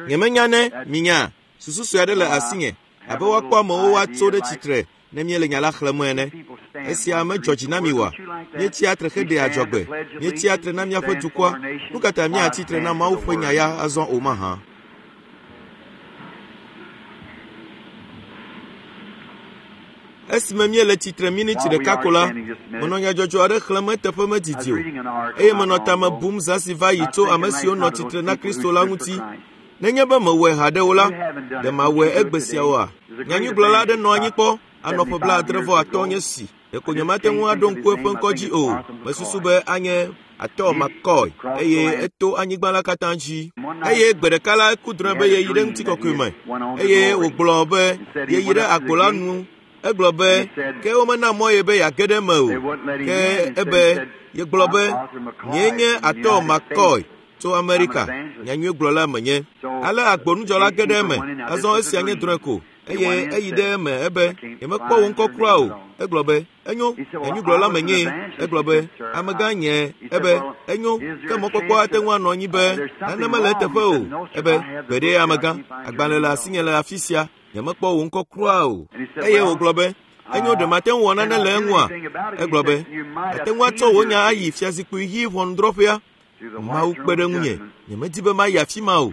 Nyemenya ne minya susu sue aɖe le asinye abe woakpɔ amewo woatso ɖe tsitre ne míele nya la xlẽm ene. Esia medzɔ dzi na mi oa? Míetsia tre heɖea adzɔgbe. Míetsia tre na míaƒe dukɔa. Nu ka ta míatsi tre na Mawu ƒe nya ya azɔ o mahã? Esime míele tsitre miniti ɖeka ko la, menɔ nyadzɔdzɔ aɖe xlẽm eteƒe medidi o, eye menɔ tame bum zã si va yi tso ame siwo nɔ tsitre na Kristo la ŋuti. Nenye be mewɔe haɖe o la, ɖe mawɔe egbe sia oa? Nyanyuigblɔla aɖe nɔ anyi kpɔ anɔ ƒe 75 nye si. Ɖeko nyemate ŋu aɖo ŋku eƒe ŋkɔ dzi o. Mesusu be anye Arthur McCoy eye eto anyigba la katã dzi. Eye gbe ɖeka la eku drɔ̃e be yeyi ɖe ŋutikɔkɔe me eye wògblɔ be yeyi ɖe agbo la nu. Egblɔ be ke womena mɔ ye be yeage ɖe eme o. Ke ebe yegblɔ be nyee nye Arthur McCoy tso Amerika, nyanyuigblɔla menye. Ale agbonudzɔla ge ɖe eme. Azɔ esia nye drɔ̃e ko eye eyi ɖe eme ebe nyemekpɔ wò ŋkɔ kura o. Egblɔ be enyo, nyanyuigblɔla menyee. Egblɔ be amegã nye. Ebe enyo, ke mɔkpɔkpɔ ate ŋu anɔ anyi be nane mele eteƒe o. Ebe gbeɖe amegã, agbalẽ le asinye le afi sia. Nyemekpɔ wò ŋkɔ kura o. Eye wògblɔ be enyo ɖe mate ŋu wɔ nane le eŋua? Egblɔ be ate ŋu atsɔ wò nya ayi fiazikpui ɣi ʋɔnudrɔ̃ƒea. Mawu kpe ɖe ŋunye, nyemedi be mayi afi ma o.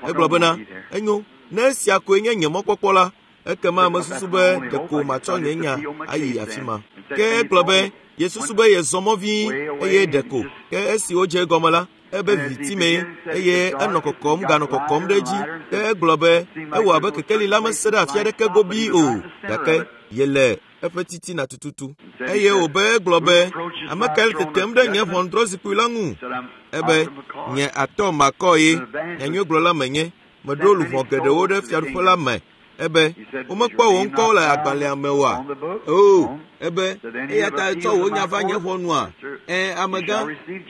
Egblɔ bena, enyo, ne esia koe nye nye mɔkpɔkpɔ la, ekema mesusu be ɖeko matsɔ nye nya ayi afi ma. Ke egblɔ be yesusu be yezɔ mɔ vĩi eye ɖeko ke esi wodze egɔme la, ebe viviti mee eye enɔ kɔkɔm ganɔ kɔkɔm ɖe edzi. Ke egblɔ be ewɔ abe kekeli la mese ɖe afi aɖeke gobii o, gake yele eƒe titina tututu. Eye wòbe egblɔ be, ame kae le tetem ɖe nye ʋɔnudrɔ̃zikpui la ŋu? Ebe, nye atɔ makɔ ye, nyanyuigblɔla menye, meɖo luʋɔ geɖewo ɖe fiaɖuƒe la me. Ebe, womekpɔ wò ŋkɔ le agbalẽa me oa? Oo, ebe, eya ta etsɔ wò nya va nye ʋɔnua? Ẽ, amegã,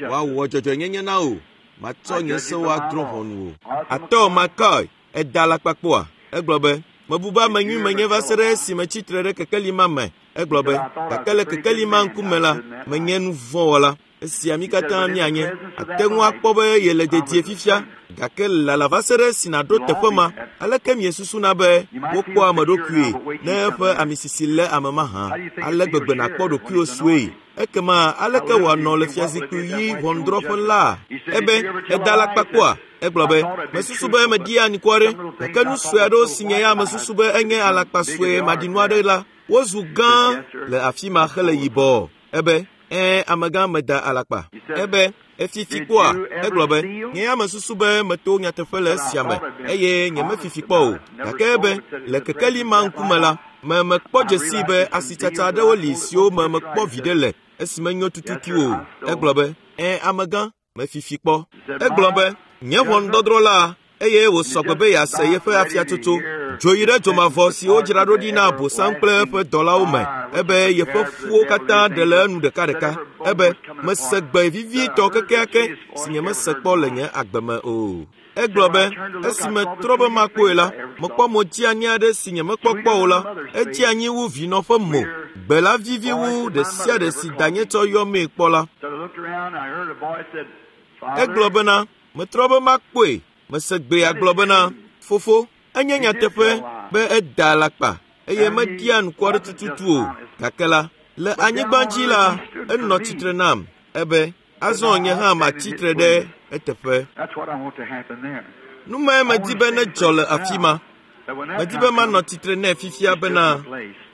woawɔ dzɔdzɔenyenye na wò. Matsɔ nye sewo adrɔ̃ ʋɔnu wò. Atɔ makɔe, eda alakpa kpɔa? Egblɔ be, mebu be ame nyui menye va se ɖe esime tsi tre ɖe kekeli ma me. Egblɔ be, gake le kekeli ma ŋkume la, menye nu vɔ̃ wɔla. Esia mí katã míanye. Àte ŋu akpɔ be yele dedie fifia, gake lala va se ɖe esi nàɖo teƒe ma. Aleke miesusuna be wokpɔa ame ɖokuie ne eƒe amisisi lé ame mahã? Ale gbegbe nàkpɔ ɖokuiwò sue. Ekema aleke wòanɔ le fiazikpui ɣi ʋɔnudrɔ̃ƒe la? Ebe, èda alakpa kpɔa? Egblɔ be, mesusu be meɖia anukware, gake nu sue aɖewo si nye ya mesusu be enye alakpa sue maɖinu aɖe la, wozu gã le afi ma hele yibɔ. Ebe, ɛ̃, amegã meda alakpa. Ebe, efifi kpɔa? Egblɔ be, nye ya mesusu be meto nyateƒe le esia me eye nyemefifi kpɔ o. Gake ebe, le kekeli ma ŋkume la, me mekpɔ dzesii be asitsatsa aɖewo li siwo me mekpɔ viɖe le esi menyo tututu o. Egblɔ be, ɛ̃, amegã, mefifi kpɔ. Egblɔ be, nye ʋɔnudɔdrɔ̃ la, eye wòsɔ gbe be yease yeƒe afiatsotso. Dzo yi ɖe dzomavɔ si wodzra ɖo ɖi na Abosam kple eƒe dɔlawo me, ebe yeƒe ƒuwo katã ɖe le enu ɖekaɖeka. Ebe, mese gbe vivitɔ kekeake si nyemese kpɔ le nye agbe me o. Egblɔ be, esi metrɔ be makpɔe la, mekpɔ mo dzeani aɖe si nyemekpɔ kpɔ o la. Edze anyi wu vinɔ ƒe mo. Gbe la vivi wu ɖe sia ɖe si danye tsɔ yɔmee kpɔ la. Egblɔ bena, metrɔ be makpɔe. Mese gbea gblɔ bena, fofo, enye nyateƒe be eda alakpa eye meɖia anukware tututu o. Gake la, le anyigba dzi la, enɔ tsitre nam ebe, azɔ nye hã matsi tre ɖe eteƒe. Nu mae medi be nedzɔ le afi ma. Medi be manɔ tsitre nɛ fifia bena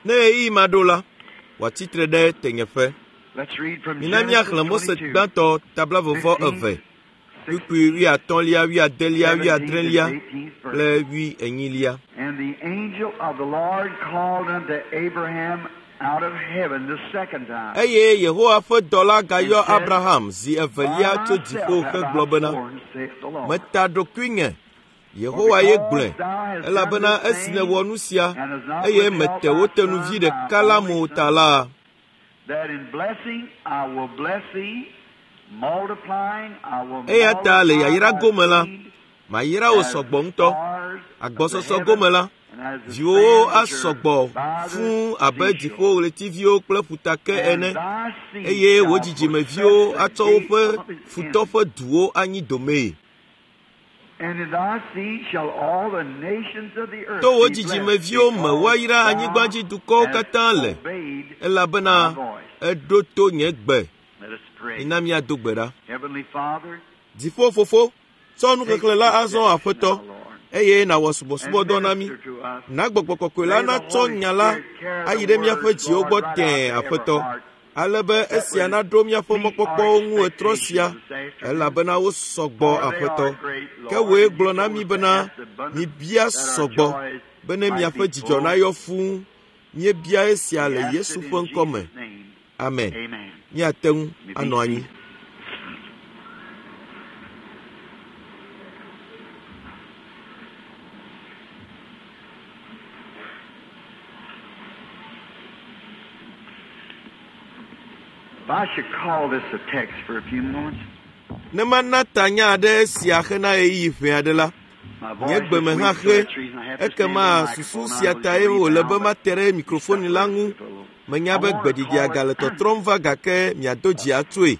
ne ɣeyiɣi ma ɖo la, wòatsi tre ɖe tenyeƒe. Mina míaxlẽ Mose gbãtɔ ta 22, kpukpui 80lia, 80lia, 80lia kple 80lia. And the angel of the Lord called unto Abraham out of heaven the second time. Eye Yehowa ƒe dɔla gayɔ Abraham zi evelia tso dziƒo hegblɔ bena, Meta ɖokuinye, Yehowa ye gblɔe, elabena esi nèwɔ nu sia, eye mete wò tenuvi ɖeka la mo ta la, That in blessing I will bless thee, multiplying I will eya ta le yayra multiply gome la, thy seed mayra wò as sɔgbɔ ŋutɔ. stars of the Agbɔsɔsɔ heaven gome la, and as the viwòwo sand which asɔ are gbɔ by the fũu abe seashore. dziƒoɣletiviwo kple ƒutake And ene, thy seed eye wò shall dzidzimeviwo possess the atsɔ gate woƒe of his futɔ enemies. ƒe duwo anyi domee. To wò dzidzimeviwo me woayra anyigbadzidukɔwo katã le, elabena èɖo to nye gbe. Mina míado gbe ɖa. Dziƒo Fofo, tsɔ nuxexlẽ la azɔ Aƒetɔ, eye nàwɔ subɔsubɔdɔ na mí. Na Gbɔgbɔ Kɔkɔe la natsɔ nya la ayi ɖe míaƒe dziwo gbɔ tẽe, Aƒetɔ, ale be esia naɖo míaƒe mɔkpɔkpɔwo ŋu ɣetrɔ sia, elabena wosɔ gbɔ, Aƒetɔ. Ke wòe gblɔ na mí bena, mibia sɔgbɔ, bene miaƒe dzidzɔ nayɔ fũu. Míebia esia le Yesu ƒe ŋkɔ me. Amen. Míate ŋu anɔ anyi. Ne mana tanya aɖe esia hena ɣeyiɣi ʋɛ aɖe la, nye gbe me hã xe. Ekema susu sia tae wòle be mate ɖe mikrofoni la ŋu. Menya be gbeɖiɖia gale tɔtrɔm va gake miado dzi atsoe.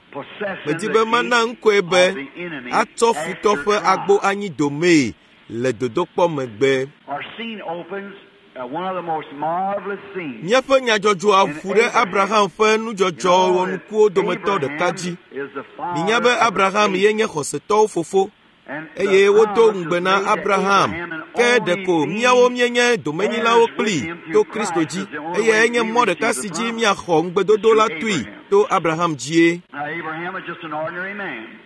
Medi be mana ŋkɔe be atsɔ futɔ ƒe agbo anyi domee le dodokpɔ megbe. Míaƒe nyadzɔdzɔa ƒu ɖe Abraham ƒe nudzɔdzɔ wɔnukuwo dometɔ ɖeka dzi. Minya be Abraham ye nye xɔsetɔwo fofo eye wodo ŋugbe na Abraham ke ɖeko míawo míenye domenyilawo kplii to Kristo dzi eye enye mɔ ɖeka si dzi míaxɔ ŋugbedodo la toe to Abraham dzie.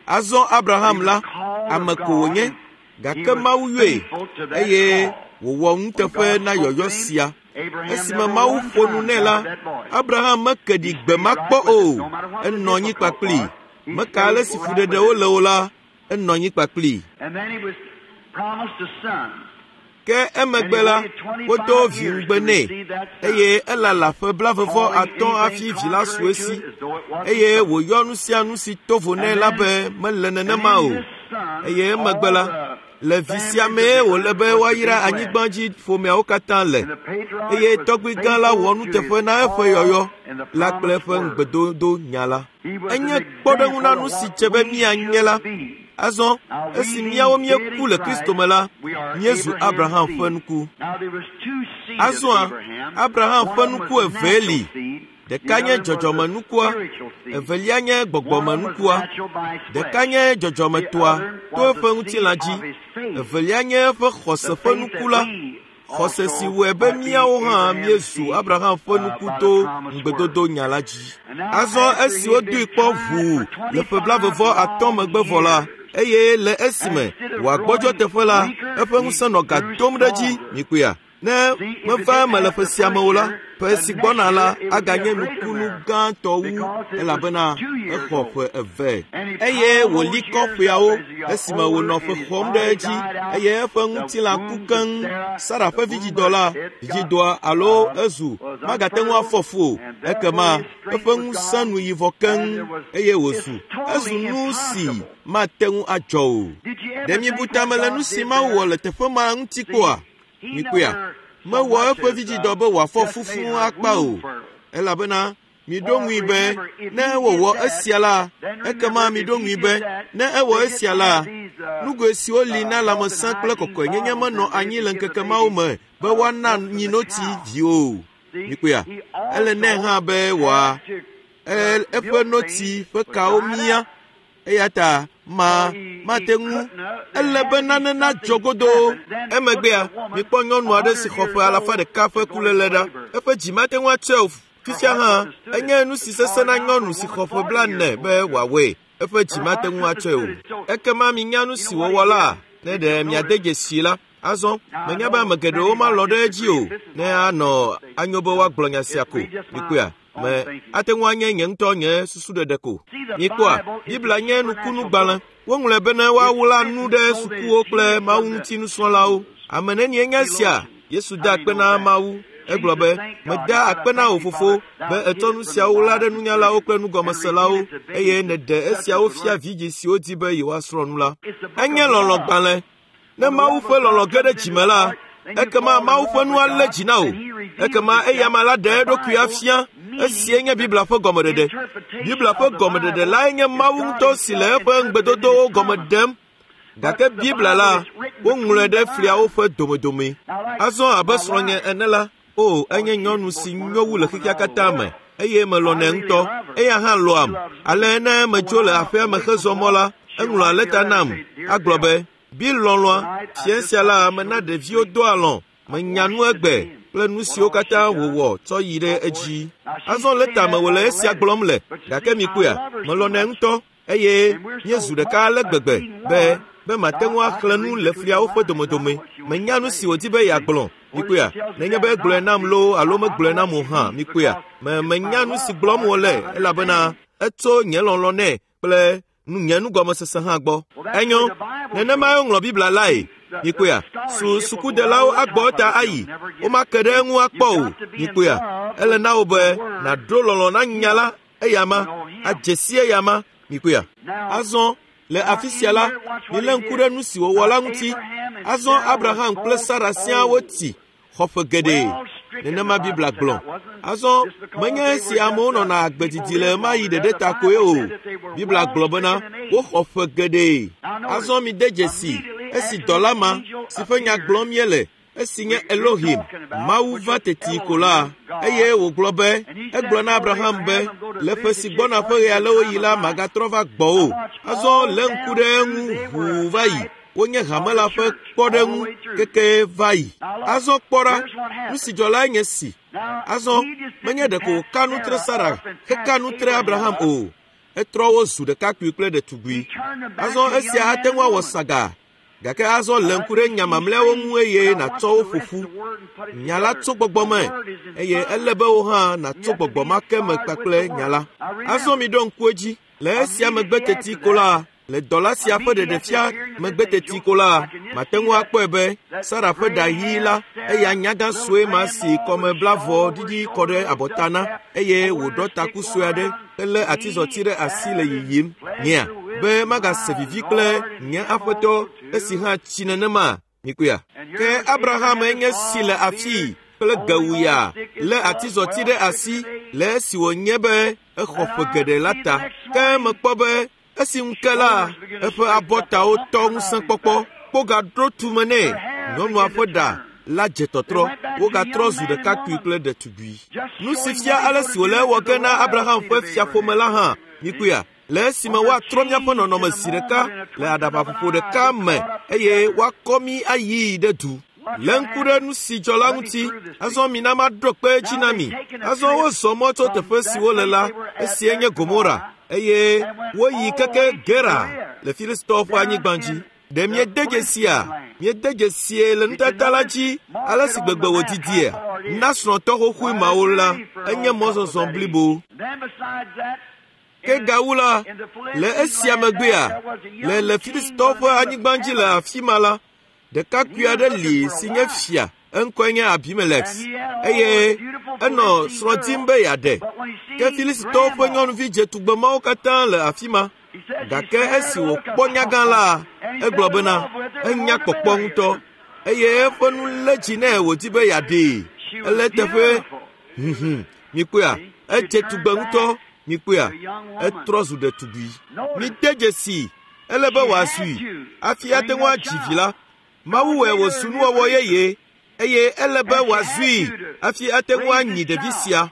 Azɔ Abraham la, ame ko wònye gake Mawu yɔe eye wòwɔ nuteƒe na yɔyɔ sia. Esime Mawu ƒo nu nɛ la, Abraham meke ɖi gbe ma kpɔ o. Enɔ anyi kpakplii. Meka ale si fuɖeɖewo le o la, enɔ anyi kpakplii. Ke emegbe la, wodo vi ŋugbe nɛ eye elala ƒe 35 hafi vi la su esi eye wòyɔ nu sia nu si to vo nɛ la be mele nenema o. Eye emegbe la, le vi sia mee wòle be woayra anyigbadzi ƒomeawo katã le eye tɔgbui gã la wɔ nuteƒe na eƒe yɔyɔ la kple eƒe ŋugbedodo nya la. Enye kpɔɖeŋu na nu si dze be míanye la. Azɔ esi míawo míeku le Kristo me la, míezu Abraham ƒe nuku. Azɔa, Abraham ƒe nuku evee li. Ɖeka nye dzɔdzɔmenukua, evelia nye gbɔgbɔmenukua. Ɖeka nye dzɔdzɔmetɔa to eƒe ŋutilã dzi, evelia nye eƒe xɔse ƒe nuku la. Xɔse si wɔe be míawo hã míezu Abraham ƒe nuku to ŋugbedodo nya la dzi. Azɔ esi wodoe kpɔ ʋuu le ƒe 35 megbe vɔ la, eye le esime wòagbɔdzɔ teƒe la, eƒe ŋusẽ nɔ ga dom ɖe edzi. Mikpɔea? Ne meva eme le ƒe sia me o la, ƒe si gbɔna la aganye nukunu gãtɔ wu elabena exɔ ƒe eve. Eye wòli kɔ ƒeawo esime wònɔ ƒe xɔm ɖe edzi eye eƒe ŋutilã ku keŋ. Sara ƒe vidzidɔ la, vidzidɔa alo ezu magate ŋu afɔ fu o. Ekema eƒe ŋusẽ nu yi vɔ keŋ eye wòzu ezu nu si mate ŋu adzɔ o. Ɖe miebu tame le nu si Mawu wɔ le teƒe ma ŋuti kpɔa? Mikpɔea? Mewɔ eƒe vidzidɔ be wòafɔ fu fũu akpa o, elabena miɖo ŋui be ne ewɔwɔ esia la, ekema miɖo ŋui be ne ewɔ esia la, nugoe siwo li na lãmesẽ kple kɔkɔenyenye menɔ anyi le ŋkeke mawo me be woana nyinotsi viwo o. Mikpɔea? Ele nɛ hã be wòa eƒe notsi ƒe kawo mía eya ta ma mate ŋu ele be nane nadzɔ godoo. Emegbea, mikpɔ nyɔnu aɖe si xɔ ƒe 100 ƒe kuléle ɖa. Eƒe dzi mate ŋu atsɔe o. Fifia hã, enye nu si sesẽ na nyɔnu si xɔ ƒe 40 be wòawɔe. Eƒe dzi mate ŋu atsɔe o. Ekema minya nu si wòwɔ la, ne ɖe miade dzesii la. Azɔ, menya be ame geɖewo malɔ̃ ɖe edzi o ne anɔ anyo be woagblɔ nya sia ko. Mikpɔea? Me ate ŋu anye nye ŋutɔ nye susu ɖeɖe ko. Mikpɔa, Biblia nye nukunugbalẽ. Woŋlɔe bene woawla nu ɖe sukuwo kple Mawu ŋuti nusrɔ̃lawo. Ame nenie nye esia? Yesu da akpe na Mawu. Egblɔ be, meda akpe na wò fofo be ètsɔ nu siawo wla ɖe nunyalawo kple nugɔmeselawo eye nèɖe esiawo fia vidzĩ siwo di be yewoasrɔ̃ nu la. Enye lɔlɔ̃gbalẽ. Ne Mawu ƒe lɔlɔ̃ ge ɖe dzime la, ekema Mawu ƒe nu alé dzi na wò. Ekema eyama la ɖe eɖokui afia. Esie nye Biblia ƒe gɔmeɖeɖe. Biblia ƒe gɔmeɖeɖe lae nye Mawu ŋutɔ si le eƒe ŋugbedodowo gɔme ɖem. Gake Biblia la, woŋlɔe ɖe fliawo ƒe domedome. Azɔ abe srɔ̃nye ene la, o enye nyɔnu si nyo wu le xexea katã me eye melɔ̃nɛ ŋutɔ. Eya hã lɔ̃am. Ale ne metso le aƒea me hezɔ mɔ la, eŋlɔa lɛta nam agblɔ be, Bill lɔlɔ̃a, fia sia la mena ɖeviwo doa alɔ̃. Menya nu egbe kple nu siwo katã wòwɔ tsɔ yi ɖe edzi. Azɔ lɛta me wòle esia gblɔm le, gake mikpɔea, melɔ̃nɛ ŋutɔ eye míezu ɖeka ale gbegbe be be mate ŋu axlẽ nu le fliawo ƒe domedome. Menya nu si wòdi be yeagblɔ. Mikpɔea, nenye be egblɔe nam loo alo megblɔe nam o hã, mikpɔea, me menya nu si gblɔm wòle elabena etso nye lɔlɔ̃ nɛ kple nye nugɔmesese hã gbɔ. Enyo, nenemae woŋlɔ Biblia lae. Mikpɔea, su sukudelawo agbɔ eta ayi, womake ɖe eŋu akpɔ o. Mikpɔea, ele na wò be nàɖo lɔlɔ̃ na nya la eyama, adze si eyama. Mikpɔea. Azɔ le afi sia la, milé ŋku ɖe nu si wòwɔ la ŋuti. Azɔ Abraham kple Sara siaa wotsi xɔ ƒe geɖe. Nenema Biblia gblɔ. Azɔ menye esi amewo nɔna agbe didi le ɣemaɣi ɖeɖe ta koe o. Biblia gblɔ bena woxɔ ƒe geɖe. Azɔ mide dzesi esi dɔla ma si ƒe nya gblɔm míele esi nye Elohim, Mawu va teti ko la, eye wògblɔ be, egblɔ na Abraham be, le ƒe si gbɔna ƒe ɣe alewo yi la magatrɔ va gbɔwò. Azɔ lé ŋku ɖe eŋu ʋuu va yi. Wonye hame la ƒe kpɔɖeŋu keke va yi. Azɔ kpɔ ɖa, nu si dzɔ lae nye si. Azɔ menye ɖeko wòka nu tre Sara heka nu tre Abraham o. Etrɔ wo zu ɖekakpui kple ɖetugbui. Azɔ esia ate ŋu awɔ saga. Gake azɔ lé ŋku ɖe nya mamlɛawo ŋu eye nàtsɔ wo ƒo ƒu. Nya la tso gbɔgbɔ me eye ele be wò hã nàtso gbɔgbɔ ma ke me kpakple nya la. Azɔ miɖo ŋku edzi, le esia megbe teti ko la, le dɔla sia ƒe ɖeɖefia megbe teti ko la, mate ŋu akpɔe be Sara ƒe ɖa ɣi la, eya nyagã sue ma si kɔmeblavɔ ɖiɖi kɔ ɖe abɔta na eye wòɖɔ taku sue aɖe helé atizɔti ɖe asi le yiyim. Nyea, be magase vivi kple nye aƒetɔ esi hã tsi nenema. Mikpɔea? Ke Abraham enye si le afii kple gewuya lé atizɔti ɖe asi le esi wònye be exɔ ƒe geɖe la ta. Ke mekpɔ be esi ŋu ke la, eƒe abɔtawo tɔ ŋusẽkpɔkpɔ, kpo gaɖo tume nɛ. Nyɔnua ƒe ɖa la dze tɔtrɔ, wogatrɔ zu ɖekakpui kple ɖetugbui. Nu si fia ale si wòle ewɔ ge na Abraham ƒe fiaƒome la hã, mikpɔea, le esime woatrɔ míaƒe nɔnɔme zi ɖeka le aɖabaƒoƒo ɖeka me eye woakɔ mí ayii ɖe du. Lé ŋku ɖe nu si dzɔ la ŋuti. Azɔ mina maɖo kpe edzi na mi. Azɔ wozɔ mɔ tso teƒe si wole la, esie nye Gomora, eye woyi keke Gera le Filistitɔwo ƒe anyigba dzi. Ɖe miede dzesia? Miede dzesie le nutata la dzi ale si gbegbe wòdidia? Na srɔ̃tɔ xoxoe mawo la, enye mɔzɔzɔ blibo. Ke gawu la, le esia megbea, le le Filistitɔwo ƒe anyigba dzi le afi ma la, ɖekakpui aɖe li si nye fia, eŋkɔe nye Abimelex, eye enɔ srɔ̃ dim be yeaɖe. Ke Filistitɔwo ƒe nyɔnuvi dzetugbe mawo katã le afi ma. Gake esi wòkpɔ nyagã la, egblɔ bena, enya kpɔkpɔ ŋutɔ eye eƒe nu lé dzi nɛ wòdi be yeaɖee. Ele eteƒe huhum. Mikpɔea, edze tugbe ŋutɔ. Mikpɔea, etrɔ zu ɖetugbui. Mide dzesi, ele be wòazui hafi ate ŋu adzi vi la. Mawu wɔe wòzu nuwɔwɔ yeye eye ele be wòazui hafi ate ŋu anyi ɖevi sia.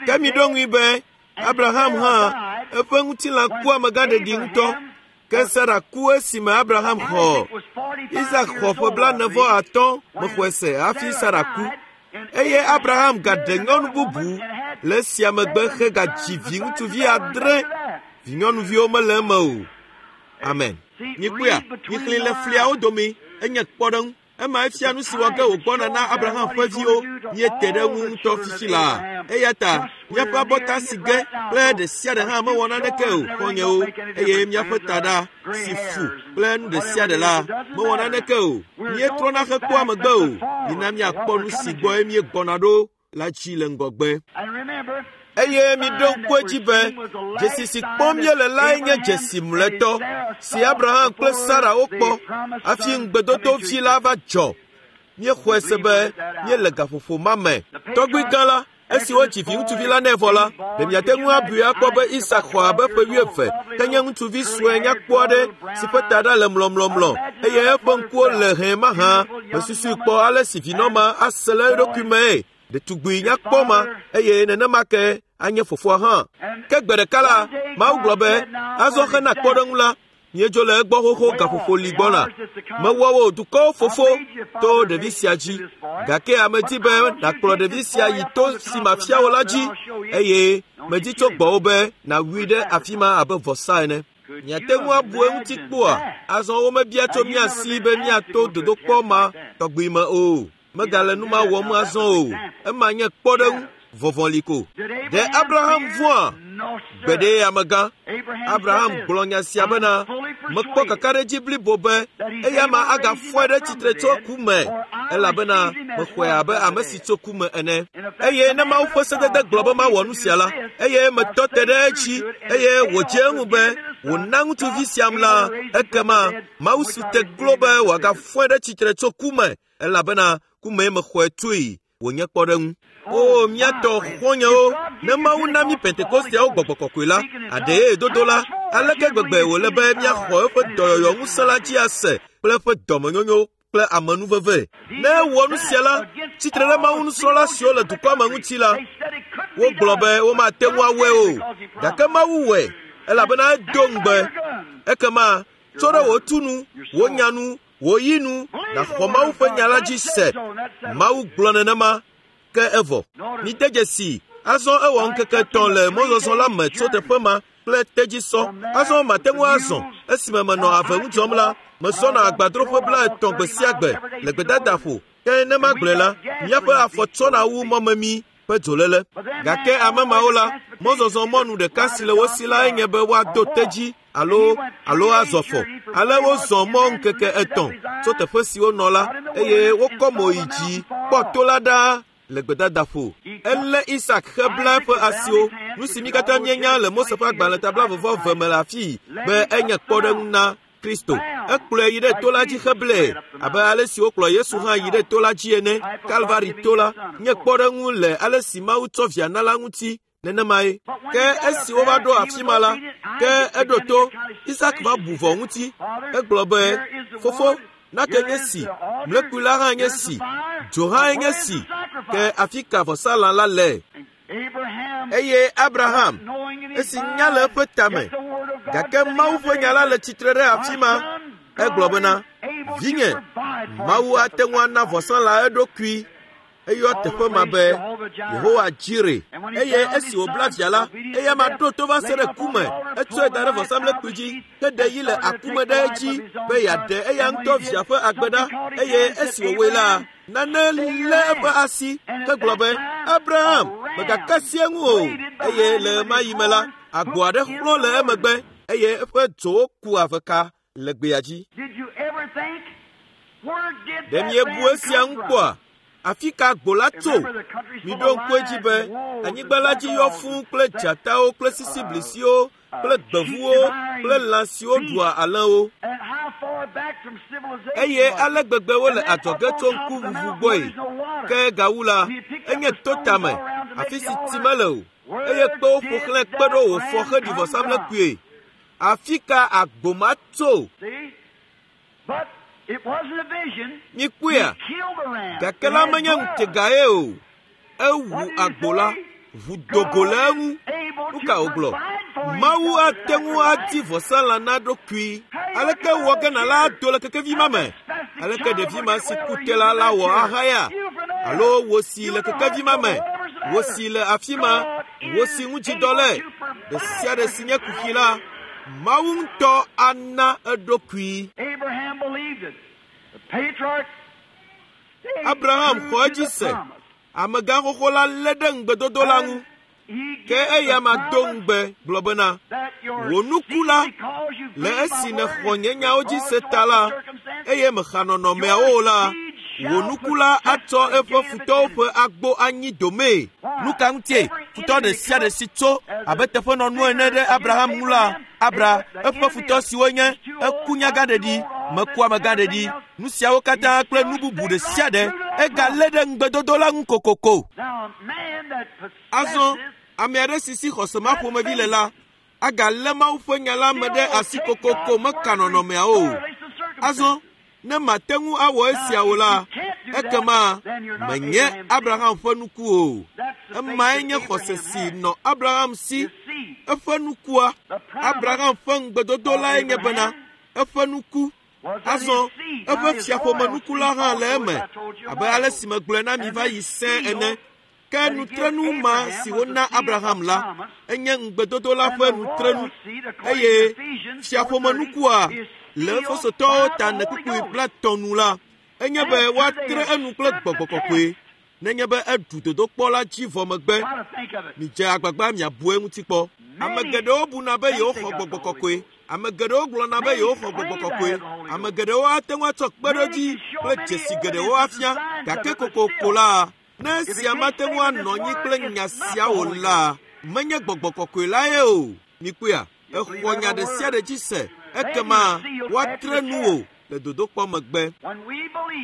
Ke miɖo ŋui be Abraham hã eƒe ŋutilã ku amegãɖeɖi ŋutɔ. Ke Sara ku esime Abraham xɔ Isak xɔ ƒe 45 mexɔe se hafi Sara ku. Eye Abraham gaɖe nyɔnu bubu le esia megbe hegadzi viŋutsuvi 8. Vinyɔnuviwo mele eme o. Amen. Mikpɔea, mixlẽ le fliawo dome, enye kpɔɖeŋu. Ema efia nu si wɔ ge wògbɔna na Abraham ƒe viwo. Míete ɖe eŋu ŋutɔ fifi laa. Eya ta míaƒe abɔta si ge kple ɖe sia ɖe hã mewɔ naneke o, xɔ̃nyewo, eye míaƒe taɖa si fu kple nu ɖe sia ɖe la mewɔ naneke o. Míetrɔna hekpɔa megbe o. Mina míakpɔ nu si gbɔe míegbɔna ɖo la dzi le ŋgɔgbe. Eye miɖo ŋku edzi be dzesi si kpɔm míele lae nye dzesi mlɔetɔ si Abraham kple Sara wokpɔ hafi ŋugbedodo vi la va dzɔ. Míexɔe se be míele gaƒoƒo ma me. Tɔgbui gã la, Esi wodzi viŋutsuvi la nɛ vɔ la, ɖe miate ŋu abui akpɔ be Isak xɔ abe ƒe 20, ke nye ŋutsuvi sue nyakpɔ aɖe si ƒe taɖa le mlɔmlɔmlɔ eye eƒe ŋkuwo le hɛ̃ mahã. Mesusui kpɔ ale si vinɔ ma ase le eɖokui mee. Ɖetugbui nyakpɔ ma eye nenema ke anye fofoa hã. Ke gbe ɖeka la, Mawu gblɔ be, azɔ hena kpɔɖeŋu la, míedzo le egbɔ xoxo gaƒoƒo li gbɔna. Mewɔ wò dukɔwo fofo to ɖevi sia dzi. Gake ame di be nàkplɔ ɖevi sia yi to si mafia wò la dzi eye medi tso gbɔwò be nàwui ɖe afi ma abe vɔsa ene. Miate ŋu abu eŋuti kpoa? Azɔ womebia tso mía si be míato dodokpɔ ma tɔgbi me o. Megale nu ma wɔm azɔ o. Ema nye kpɔɖeŋu vɔvɔli ko. Ɖe Abraham vɔ̃a? Gbeɖe amegã. Abraham gblɔ nya sia bena, mekpɔ kakaɖedzi blibo be eya ma agafɔe ɖe tsitre tso ku me, elabena mexɔe abe ame si tso ku me ene. Eye ne Mawu ƒe sedede gblɔ be mawɔ nu sia la, eye metɔ te ɖe edzi eye wòdze eŋu be wòna ŋutsuvi siam la, ekema Mawu su te glo be wòagafɔe ɖe tsitre tso ku me, elabena ku mee mexɔe tsoe wònye kpɔɖeŋu. O míatɔ xɔ̃nyewo, ne Mawu na mí Pentekosteawo gbɔgbɔ kɔkɔe la, aɖee dodo la, aleke gbegbe wòle be míaxɔ eƒe dɔyɔyɔ ŋusẽ la dzi ase kple eƒe dɔmenyonyo kple amenuveve. Ne ewɔ nu sia la, tsitre ɖe Mawu nusrɔ̃la siwo le dukɔa me ŋuti la, wogblɔ be womate ŋu awɔe o, gake Mawu wɔe, elabena edo ŋugbe. Ekema tso ɖe wò tu nu, wò nya nu, wò yi nu, nàxɔ Mawu ƒe nya la dzi se. Mawu gblɔ nenema, ke evɔ. Mide dzesi, azɔ ewɔ ŋkeke 3 le mɔzɔzɔ la me tso teƒe ma kple tedzisɔ. Azɔ mate ŋu azɔ. Esime menɔ ave ŋu dzɔm la, mesɔna agbadroƒe 30 gbe sia gbe le gbedadaƒo. Ke ne magblɔe la, míaƒe afɔ tsɔna wu mɔmemi ƒe dzolele. Gake ame mawo la, mɔzɔzɔ mɔnu ɖeka si le wo si lae nye be woado tedzi alo azɔ fɔ. Ale wozɔ mɔ ŋkeke 3 tso teƒe si wonɔ la eye wokɔ mo yi dzi kpɔ to la ɖaa le gbedadaƒo. Elé Isak hebla eƒe asiwo, nu si mí katã míenya le Mose ƒe agbalẽ ta 22 me le afii be enye kpɔɖeŋu na Kristo. Ekplɔe yi ɖe to la dzi heblae abe ale si wokplɔ Yesu hã yi ɖe to la dzi ene. Kalvari to la nye kpɔɖeŋu le ale si Mawu tsɔ via na la ŋuti nenemae. Ke esi wova ɖo afi ma la, ke eɖo to. Isak va bu vɔ ŋuti. Egblɔ be, fofo, nake nye si, mlekpui la hã nye si, dzo hã nye si, ke afi ka vɔsalã la le? Eye Abraham, esi nya le eƒe tame, gake Mawu ƒe nya la le tsitre ɖe afi ma, egblɔ bena, vinye, Mawu ate ŋu ana vɔsalã eɖokui. Eyɔ teƒe ma be Yehowa Jire. Eye esi wòbla via la, eya ma ɖo to va se ɖe ku me. Etsɔe da ɖe vɔsamlekpui dzi, ke ɖe yi le aku me ɖe edzi be yeaɖe eya ŋutɔ via ƒe agbe ɖa. Eye esi wòwɔe la, nane lé eƒe asi ke gblɔ be, Abraham, mègaka asi eŋu o. Eye le ɣemaɣi me la, agbo aɖe xlɔ̃ le emegbe eye eƒe dzowo ku aveka le gbea dzi. Ɖe miebu esia ŋu kpɔa? Afi ka agbo la tso? Miɖo ŋku edzi be anyigba la dzi yɔ fũu kple dzatawo kple sisiblisiwo kple gbevuwo kple lã siwo ɖua alẽwo. Eye ale gbegbe wole adzɔge tso ŋkuʋuʋu gbɔe. Ke gawu la, enye to tame, afi si tsi mele o, eye kpewo ƒo xlãe kpe ɖo wòfɔ heɖi vɔsamlekpuie. Afi ka agbo ma tso? Mikpɔea? Gake la menye ŋutegae o. Ewu agbo la, ʋu do go le eŋu. Nu ka wògblɔ? Mawu ate ŋu adi vɔsalã na ɖokui. Aleke wɔ ge nàla ado le kekevi ma me? Aleke ɖevi ma si ku te la la wɔ ahaya? Alo wò si le kekevi ma me, wò si le afi ma, wò si ŋudzidɔ le, ɖe sia ɖe si nye kuxi la, Mawu ŋutɔ ana eɖokui. Abraham xɔ edzi se. Amegã xoxo la lé ɖe ŋugbedodo la ŋu. Ke eya ma do ŋugbe gblɔ bena, wò nuku la, le esi nèxɔ nye nyawo dzi se ta la, eye mexa nɔnɔmeawo o la, wò nuku la atsɔ eƒe futɔwo ƒe agbo anyi domee. Nu ka ŋutie futɔ ɖe sia ɖe si tso abe teƒenɔnu ene ɖe Abraham ŋu la, Abra eƒe futɔ siwo nye eku nyagãɖeɖi, meku amegãɖeɖi, nu siawo katã kple nu bubu ɖe sia ɖe, Egalé ɖe ŋugbedodo la ŋu kokoko. Azɔ ame aɖe si si xɔse ma ƒomevi le la agalé Mawu ƒe nya la me ɖe asi kokoko meka nɔnɔmeawo o. Azɔ ne mate ŋu awɔ esia o la, ekema menye Abraham ƒe nuku o. Emae nye xɔse si nɔ Abraham si. Eƒe nukua, Abraham ƒe ŋugbedodo lae nye bena eƒe nuku. Azɔ eƒe fiaƒomenuku la hã le eme abe ale si megblɔe na mi va yi sẽe ene. Ke nutrenu ma si wona Abraham la, enye ŋugbedodo la ƒe nutrenu eye fiaƒomenukua le Efesotɔwo ta nekpukpui 50 nu la, enye be woatre enu kple gbɔgbɔ kɔkɔe nenye be eɖu dodokpɔ la dzi vɔ megbe. Midze agbagba miabu eŋuti kpɔ. Ame geɖewo buna be yewoxɔ gbɔgbɔ kɔkɔe. Ame geɖewo gblɔna be yewoxɔ gbɔgbɔ kɔkɔe. Ame geɖewo ate ŋu atsɔ kpeɖodzi kple dzesi geɖewo afia, gake kokoko la, ne esia mate ŋu anɔ anyi kple nya sia o la, menye gbɔgbɔ kɔkɔe lae o. Mikpɔea, exɔ nya ɖe sia ɖe dzi se, ekema woatre nu wò le dodokpɔ megbe.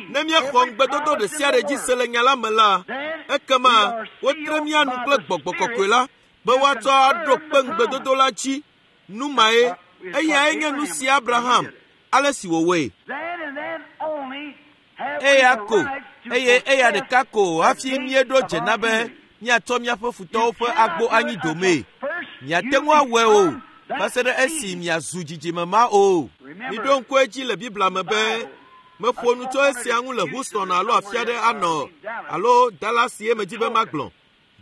Ne míexɔ ŋugbedodo ɖe sia ɖe dzi se le nya la me la, ekema wotre mía nu kple gbɔgbɔ kɔkɔe la be woatsɔ aɖo kpe ŋugbedodo la dzi. Nu mae, eyae nye nu si Abraham, ale si wòwɔe. Eya ko, eye eya ɖeka ko hafi míeɖo dze na be míatsɔ míaƒe futɔwo ƒe agbo anyi domee. Miate ŋu awɔe o, va se ɖe esi miazu dzidzime ma o. Miɖo ŋku edzi le Biblia me be meƒo nu tso esia ŋu le Houston alo afi aɖe anɔ alo Dallas ye medi be magblɔ.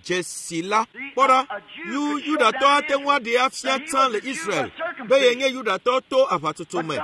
Dzesi la, kpɔ ɖa, Yudatɔ ate ŋu aɖee afia tsã le Israel be yenye Yudatɔ to aʋatsotso me.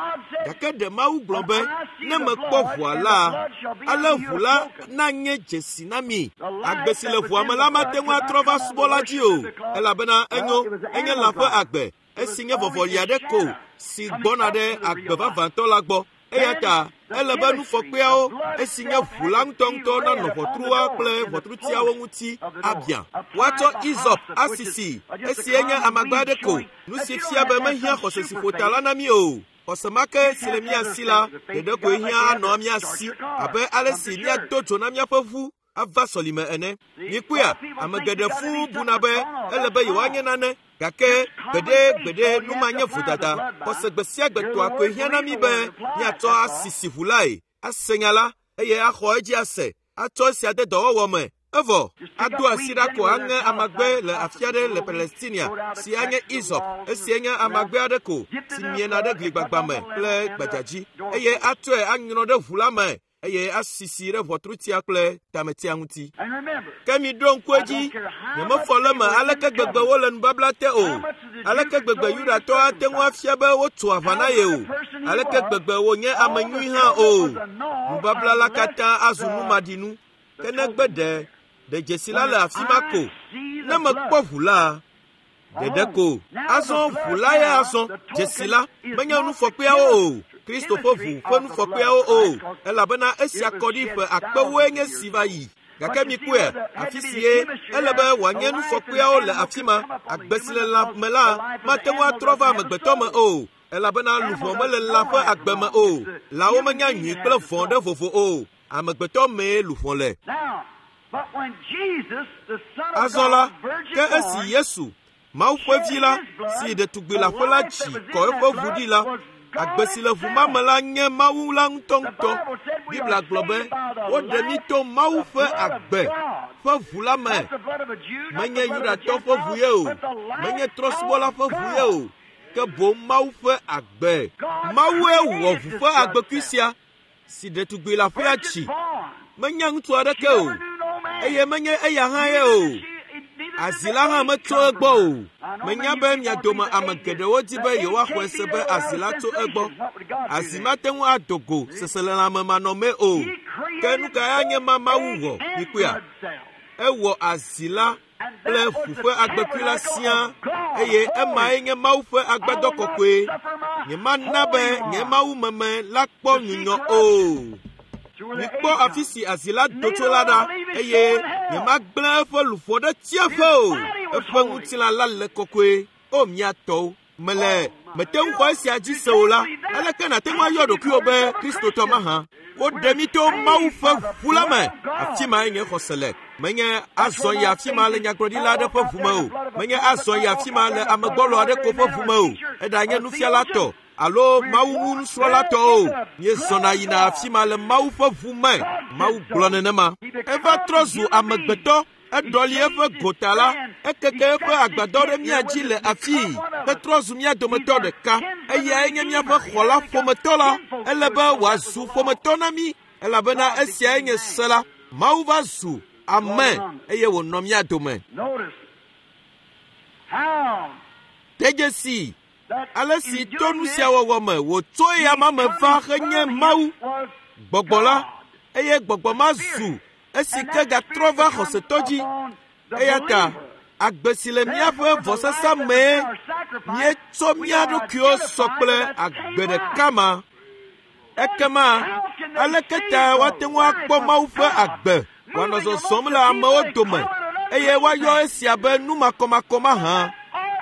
Gake ɖe Mawu gblɔ be, ne mekpɔ ʋua la, ale ʋu la nanye dzesi na mi. Agbe si le ʋua me la mate ŋu atrɔ va subɔla dzi o, elabena enyo, enye lã ƒe agbe, esi nye vɔvɔli aɖe ko si gbɔna ɖe agbe vavãtɔ la gbɔ. Eya ta ele be nufɔkpeawo, esi nye ʋu la ŋutɔŋutɔ nanɔ ʋɔtrua kple ʋɔtrutiawo ŋuti abia. Woatsɔ Izɔp asisi, esi enye amagba aɖe ko, nu si fia be mehiã xɔse si ƒo ta la na mí o. Xɔse ma ke si le mía si la ɖeɖe koe hiã anɔ mía si abe ale si míado dzo na míaƒe ʋu ava sɔlime ene. Mikpɔea, ame geɖe fũu buna be ele be yewoanye nane, gake gbeɖe nu ma nye vodada. Xɔse gbe sia gbe tɔa koe hiã na mí be míatsɔ asisi ʋu lae, ase nya la, eye axɔ edzi ase, atsɔ esia de dɔwɔwɔ me. Evɔ, ado asi ɖa ko aŋe amagbe le afi aɖe le Palestinia, si anye Izɔp, esi nye amagbe aɖe ko si miena ɖe gligbagba me kple gbadzadzi, eye atsɔe anyrɔ ɖe ʋu la me eye asisi ɖe ʋɔtrutia kple tametia ŋuti. Ke miɖo ŋku edzi, nyemefɔ le eme aleke gbegbe wole nubabla te o, aleke gbegbe Yudatɔ ate ŋu afia be wotso aʋa na ye o, aleke gbegbe wònye ame nyui hã o. Nubabla la katã azu numaɖinu. Ke negbe ɖe dzesi la le afi ma ko. Ne mekpɔ ʋu la, ɖeɖe ko. Azɔ ʋu la ya azɔ, dzesi la, menye nufɔkpeawo o, Kristo ƒe ʋu ƒe nufɔkpeawo o, elabena esia kɔ ɖi ƒe akpewoe nye si va yi. Gake mikpɔe, afi si ye ele be wòanye nufɔkpeawo le afi ma, agbe si le lã me la mate ŋu atrɔ va amegbetɔ me o, elabena luʋɔ mele lã ƒe agbe me o. Lãwo menya nyui kple vɔ̃ ɖe vovo o. Amegbetɔ mee luʋɔ le. Azɔ la, ke esi Yesu, Mawu ƒe vi la, si ɖetugbi leaƒe la dzi kɔ eƒe ʋu ɖi la, agbe si le ʋu ma me la nye Mawu la ŋutɔŋutɔ. Biblia gblɔ be woɖe mí to Mawu ƒe agbe ƒe ʋu la me. Menye Yudatɔ ƒe ʋu ye o, menye trɔ̃subɔla ƒe ʋu ye o, ke boŋ Mawu ƒe agbe. Mawue wɔ ʋu ƒe agbekui sia si ɖetugbi leaƒea dzi. Menye ŋutsu aɖeke o, eye menye eya hã ye o. Azi la hã metso egbɔ o. Menya be mia dome ame geɖewo di be yewoaxɔe se be azi la tso egbɔ. Azi mate ŋu ado go seselelãme manɔmee o. Ke nu kae anye ma Mawu wɔ? Mikpɔea? Ewɔ azi la kple ʋu ƒe agbekui la siaa, eye emae nye Mawu ƒe agbadɔ kɔkɔe. Nyemana be nye Mawu meme la kpɔ nyunyɔ o. Mikpɔ afi si azi la do tso la ɖa, eye nyemagblẽ eƒe luʋɔ ɖe tsiaƒe o. Eƒe ŋutilã la le kɔkɔe. O mía tɔwo! Mele mete ŋu xɔ esia dzi se o la, aleke nàte ŋu ayɔ ɖokuiwò be Kristotɔ mahã? Woɖe mí to Mawu ƒe ʋu la me. Afi mae nye xɔse le. Menye azɔ yi afi ma le nyagblɔɖila aɖe ƒe ʋu me o. Menye azɔ yi afi ma le amegbɔlɔ aɖe ko ƒe ʋu me o. Eɖanye nufiala tɔ alo Mawu ŋu nusrɔ̃la tɔ o. Míezɔna yina afi ma le Mawu ƒe ʋu me. Mawu gblɔ nenema. Eva trɔ zu amegbetɔ. Eɖɔli eƒe gota la, ekeke eƒe agbadɔ ɖe mía dzi le afii hetrɔ zu mía dometɔ ɖeka. Eyae nye míaƒe xɔla ƒometɔ la. Ele be wòazu ƒometɔ na mí elabena esiae nye se la. Mawu va zu ame eye wònɔ mía dome. De dzesi ale si to nu sia wɔwɔ me wòtso eya ma me va henye Mawu, Gbɔgbɔ la, eye Gbɔgbɔ ma zu esi ke gatrɔ va xɔsetɔ dzi. Eya ta agbe si le míaƒe vɔsasa mee míetsɔ mía ɖokuiwo sɔ kple agbe ɖeka ma. Ekema aleke ta woate ŋu akpɔ Mawu ƒe agbe wòanɔ zɔzɔm le amewo dome eye woayɔ esia be nu makɔmakɔ mahã,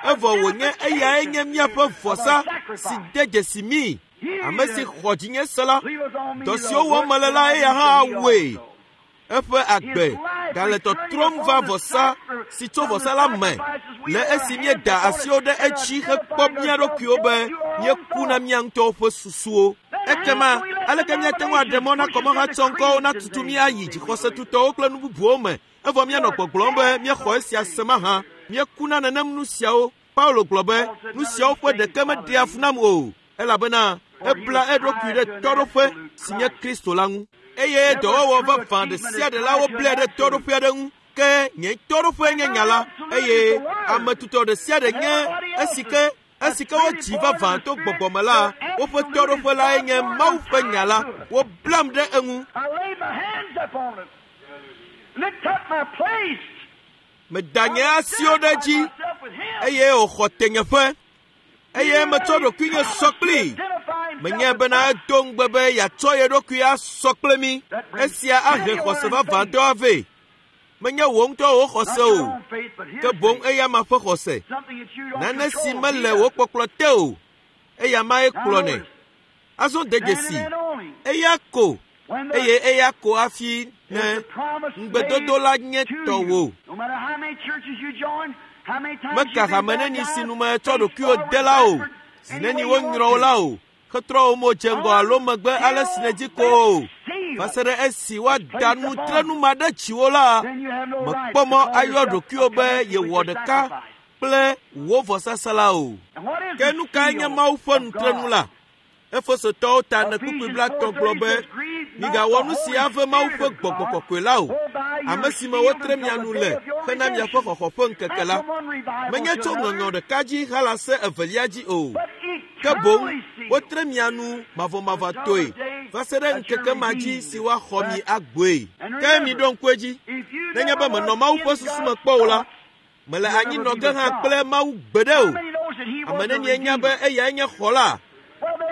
evɔ wònye eyae nye míaƒe vɔsa si de dzesi mí? Ame si xɔ dzinye se la, dɔ siwo wɔm mele la eya hã awɔe. Eƒe agbe gale tɔtrɔm va vɔsa si tso vɔsa la me le esi míeda asiwo ɖe edzi hekpɔ mía ɖokuiwo be míeku na mía ŋutɔwo ƒe susuwo. Ekema aleke míate ŋu aɖe mɔ na kɔmɔhatsɔŋkɔwo natutu mí ayi dzixɔsetutɔwo kple nu bubuwo me evɔ míanɔ gbɔgblɔm be míexɔ esia se mahã? Míekuna nenem nu siawo. Paulo gblɔ be nu siawo ƒe ɖeke meɖea fu nam o, elabena ebla eɖokui ɖe tɔɖoƒe si nye Kristo la ŋu. Eye dɔwɔwɔ vavã ɖe sia ɖe la woblae ɖe tɔɖoƒe aɖe ŋu. Ke nye tɔɖoƒe nye nya la, eye ame tutɔ ɖe sia ɖe nye esi ke esi ke wodzi vavã to gbɔgbɔ me la, woƒe tɔɖoƒe lae nye Mawu ƒe nya la. Woblam ɖe eŋu. Meda nye asiwo ɖe edzi eye wòxɔ tenyeƒe eye metsɔ ɖokuinye sɔ kplii. Menye bena edo ŋugbe be yeatsɔ ye ɖokui asɔ kple mí. Esia ahe xɔse vavãtɔ avɛ. Menye wò ŋutɔ wò xɔse o, ke boŋ eyama ƒe xɔse. Nane si mele wò kpɔkplɔ te o, eya mae kplɔnɛ. Azɔ de dzesi, eya ko eye eya ko hafi ne ŋugbedodo la nye tɔwò. Meka hame neni si nu metsɔ ɖokuiwò de la o, zi neni wonyrɔ wò la o, hetrɔ wò mo dze ŋgɔ alo megbe ale si nèdzi ko o. Va se ɖe esi woada nutrenu ma ɖe dziwò la, mèkpɔ mɔ ayɔ ɖokuiwò be yewɔ ɖeka kple wò vɔsasa la o. Ke nu kae nye Mawu ƒe nutrenu la? Efesotɔwo ta ne kpukpui blatɔ gblɔ be, migawɔ nu si ave Mawu ƒe gbɔgbɔ kɔkɔe la o, ame si me wotre mia nu le hena miaƒe xɔxɔ ƒe ŋkeke la. Menye tso ŋɔŋlɔ ɖeka dzi halase evelia dzi o, ke boŋ wotre mia nu mavɔmavɔtɔe va se ɖe ŋkeke ma dzi si woaxɔ mi agbɔe. Ke miɖo ŋku edzi, nenye be menɔ Mawu ƒe susu me kpɔ o la, mele anyi nɔ ge hã kple Mawu gbeɖe o. Ame nenie nya be eyae nye xɔla?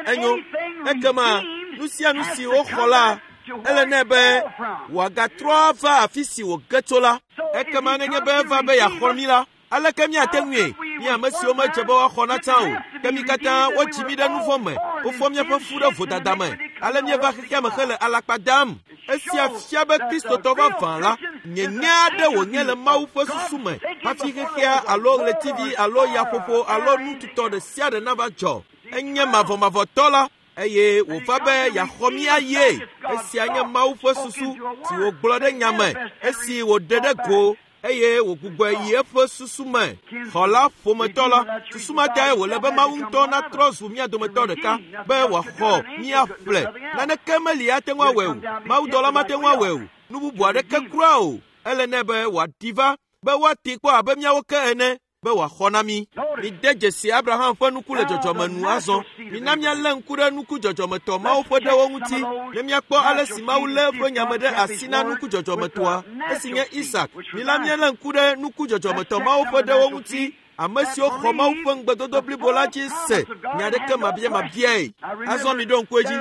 Enyo, ekema nu sia nu si woxɔ la, ele nɛ be wòagatrɔ ava afi si wòge tso la. Ekema nenye be eva be yeaxɔ mí la, aleke míate ŋui? Mí ame siwo medze be woaxɔ na tsã o, ke mí katã wodzi mí ɖe nu vɔ̃ me, wofɔ míaƒe fu ɖe vodada me, ale míeva xexea me hele alakpa dam. Esia fia be Kristotɔ vavã la, nyenye aɖe wònye le Mawu ƒe susu me hafi xexea alo ɣletivi alo yaƒoƒo alo nu tutɔ ɖe sia ɖe nava dzɔ. Enye mavɔmavɔtɔ la eye wòva be yeaxɔ mí ayie. Esia nye Mawu ƒe susu si wògblɔ ɖe nya me esi wòɖe ɖe go eye wògbugbɔe yi eƒe susu me. Xɔla ƒometɔ la, susu ma tae wòle be Mawu ŋutɔ natrɔ zu mía dometɔ ɖeka be wòaxɔ míaƒle. Naneke meli ate ŋu awɔe o. Mawudɔla mate ŋu awɔe o. Nu bubu aɖeke kura o. Ele nɛ be wòaɖi va be woatee kpɔ abe míawo ke ene be wòaxɔ na mí. Mide dzesi Abraham ƒe nuku le dzɔdzɔme nu azɔ. Mina míalé ŋku ɖe nuku dzɔdzɔmetɔ mawo ƒe ɖewo ŋuti ne míakpɔ ale si Mawu lé eƒe nya me ɖe asi na nuku dzɔdzɔmetɔa, esi nye Isak. Mina míalé ŋku ɖe nuku dzɔdzɔmetɔ mawo ƒe ɖewo ŋuti, ame siwo xɔ Mawu ƒe ŋugbedodo blibo la dzi se nya aɖeke mabiamabiae. Azɔ miɖo ŋku edzi,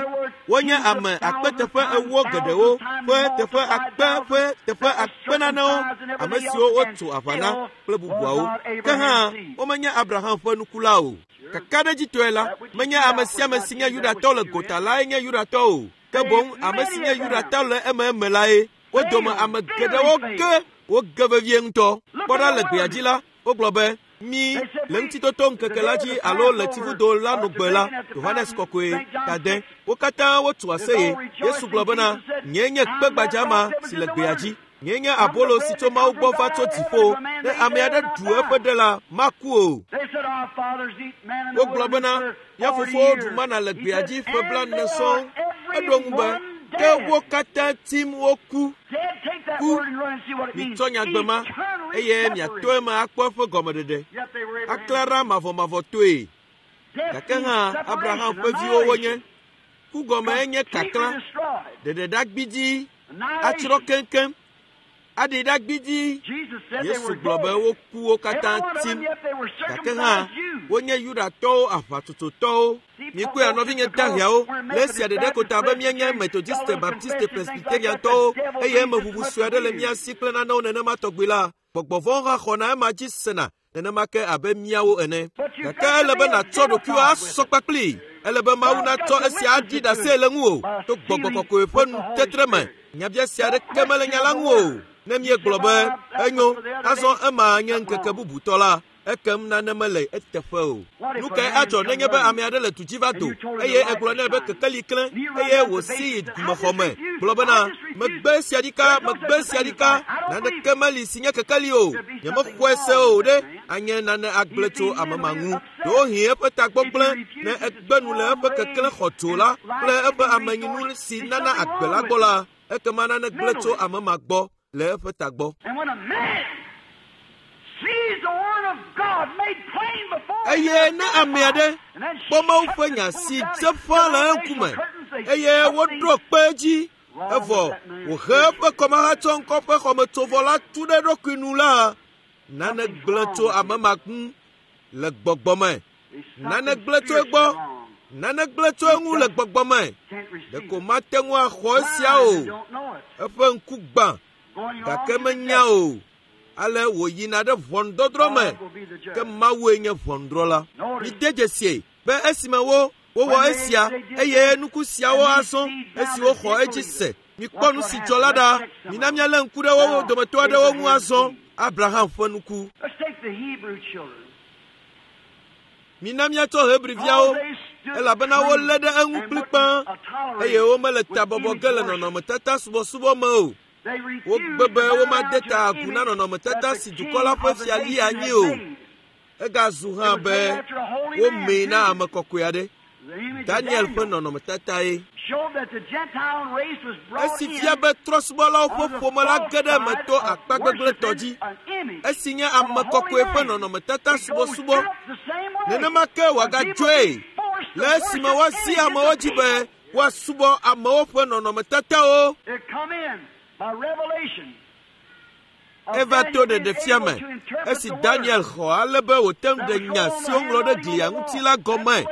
wonye ame akpe teƒe ewo geɖewo ƒe teƒe akpe ƒe teƒe akpe nanewo, ame siwo wotso aʋa na kple bubuawo. Ke hã, womenye Abraham ƒe nuku la o. Kakaɖedzitɔe la, menye ame sia ame si nye Yudatɔ le gota lae nye Yudatɔ o, ke boŋ ame si nye Yudatɔ le ememe lae. Wo dome ame geɖewo ge woge vevie ŋutɔ. Kpɔ ɖa le gbea dzi la, wogblɔ be, Mi le ŋutitoto ŋkeke la dzi alo le tsivudo la nugbe la, Yohanes Kɔkɔe, tade. Wo katã wotu aseye. Yesu gblɔ bena, Nyee nye kpe gbadza ma si le gbea dzi. Nyee nye abolo si tso Mawu gbɔ va tso dziƒo. Ne ame aɖe ɖu eƒe ɖe la, maku o. Wogblɔ bena, Mía fofowo ɖu mana le gbea dzi ƒe blaene sɔŋ. Eɖo ŋu be, Ke wo katã tim woku. Ku. Mitsɔ nyagbe ma, eye miato eme akpɔ eƒe gɔmeɖeɖe. Aklã ɖa mavɔmavɔtɔe. Gake hã Abraham ƒe viwo wonye. Ku gɔme enye kaklã, ɖeɖeɖa gbidii, atsrɔ̃ keŋkeŋ. Aɖi ɖa gbidii. Yesu gblɔ be woku wo katã tim. Gake hã wonye Yudatɔwo aʋatsotsotɔwo. Mikpɔe nɔvinye daheawo le esia ɖeɖe ko ta be míenye Methodiste, Baptiste, Presbyteriantɔwo eye emeʋuʋu sue aɖe le mía si kple nanewo nenema tɔgbi la, gbɔgbɔ vɔ̃wo hã xɔna ema dzi sena nenema ke abe míawo ene. Gake ele be nàtsɔ ɖokuiwò asɔ kpakplii. Ele be Mawu natsɔ esia aɖi ɖase le ŋuwò to gbɔgbɔ kɔkɔe ƒe nutetre me. Nyabiase aɖeke mele nya la ŋu o. Ne míegblɔ be enyo, azɔ ema nye ŋkeke bubutɔ la, ekem nane mele eteƒe o. Nu kae adzɔ nenye be ame aɖe le du dzi va do eye egblɔ nɛ be kekeli klẽ eye wòsi yi dumexɔ me gblɔ bena megbe esia ɖika, megbe esia ɖika, naneke meli si nye kekeli o, nyemexɔe se o ɖe, anye nane agblẽ tso ame ma ŋu. Ɖewohĩ eƒe tagbɔ gblẽ ne egbe nu le eƒe keklẽ xɔdzo la kple eƒe amenyinu si nana agbe la gbɔ la, ekema nane gblẽ tso ame ma gbɔ le eƒe tagbɔ. Eye ne ame aɖe kpɔ Mawu ƒe nya si dze ƒãa le eŋkume eye woɖo kpe edzi evɔ wòhe eƒe kɔmahatsɔŋkɔ ƒe xɔmetsovɔ la tu ɖe eɖokui nu la, nane gblẽ tso ame ma ŋu le gbɔgbɔ me. Nane gblẽ tso egbɔ. Nane gblẽ tso eŋu le gbɔgbɔ me. Ɖeko mate ŋu axɔ esia o. Eƒe ŋku gbã gake menya o. Ale wòyina ɖe ʋɔnudɔdrɔ̃ me, ke Mawue nye ʋɔnudrɔ̃la. Mide dzesie be esime wo wowɔ esia eye nuku siawo azɔ esi woxɔ edzi se. Mikpɔ nu si dzɔ la ɖa. Mina míalé ŋku ɖe wo dometɔ aɖewo ŋu azɔ. Abraham ƒe nuku. Mina míatsɔ Hebriviawo, elabena wolé ɖe eŋu kplikpaa eye womele ta bɔbɔ ge le nɔnɔmetata subɔsubɔ me o. Wogbe be womade ta agu na nɔnɔmetata si dukɔ la ƒe fia li anyi o. Egazu hã be womee na ame kɔkɔe aɖe. Daniel ƒe nɔnɔmetatae. Esi fia be trɔ̃subɔlawo ƒe ƒome la ge ɖe eme to akpa gbegblẽtɔ dzi, esi nye ame kɔkɔe ƒe nɔnɔmetata subɔsubɔ, nenema ke wòagadzɔe le esime woazi amewo dzi be woasubɔ amewo ƒe nɔnɔmetatawo. Eva to ɖeɖefia me esi Daniel xɔ ale be wòte ŋu ɖe nya si woŋlɔ ɖe glia ŋuti la gɔme.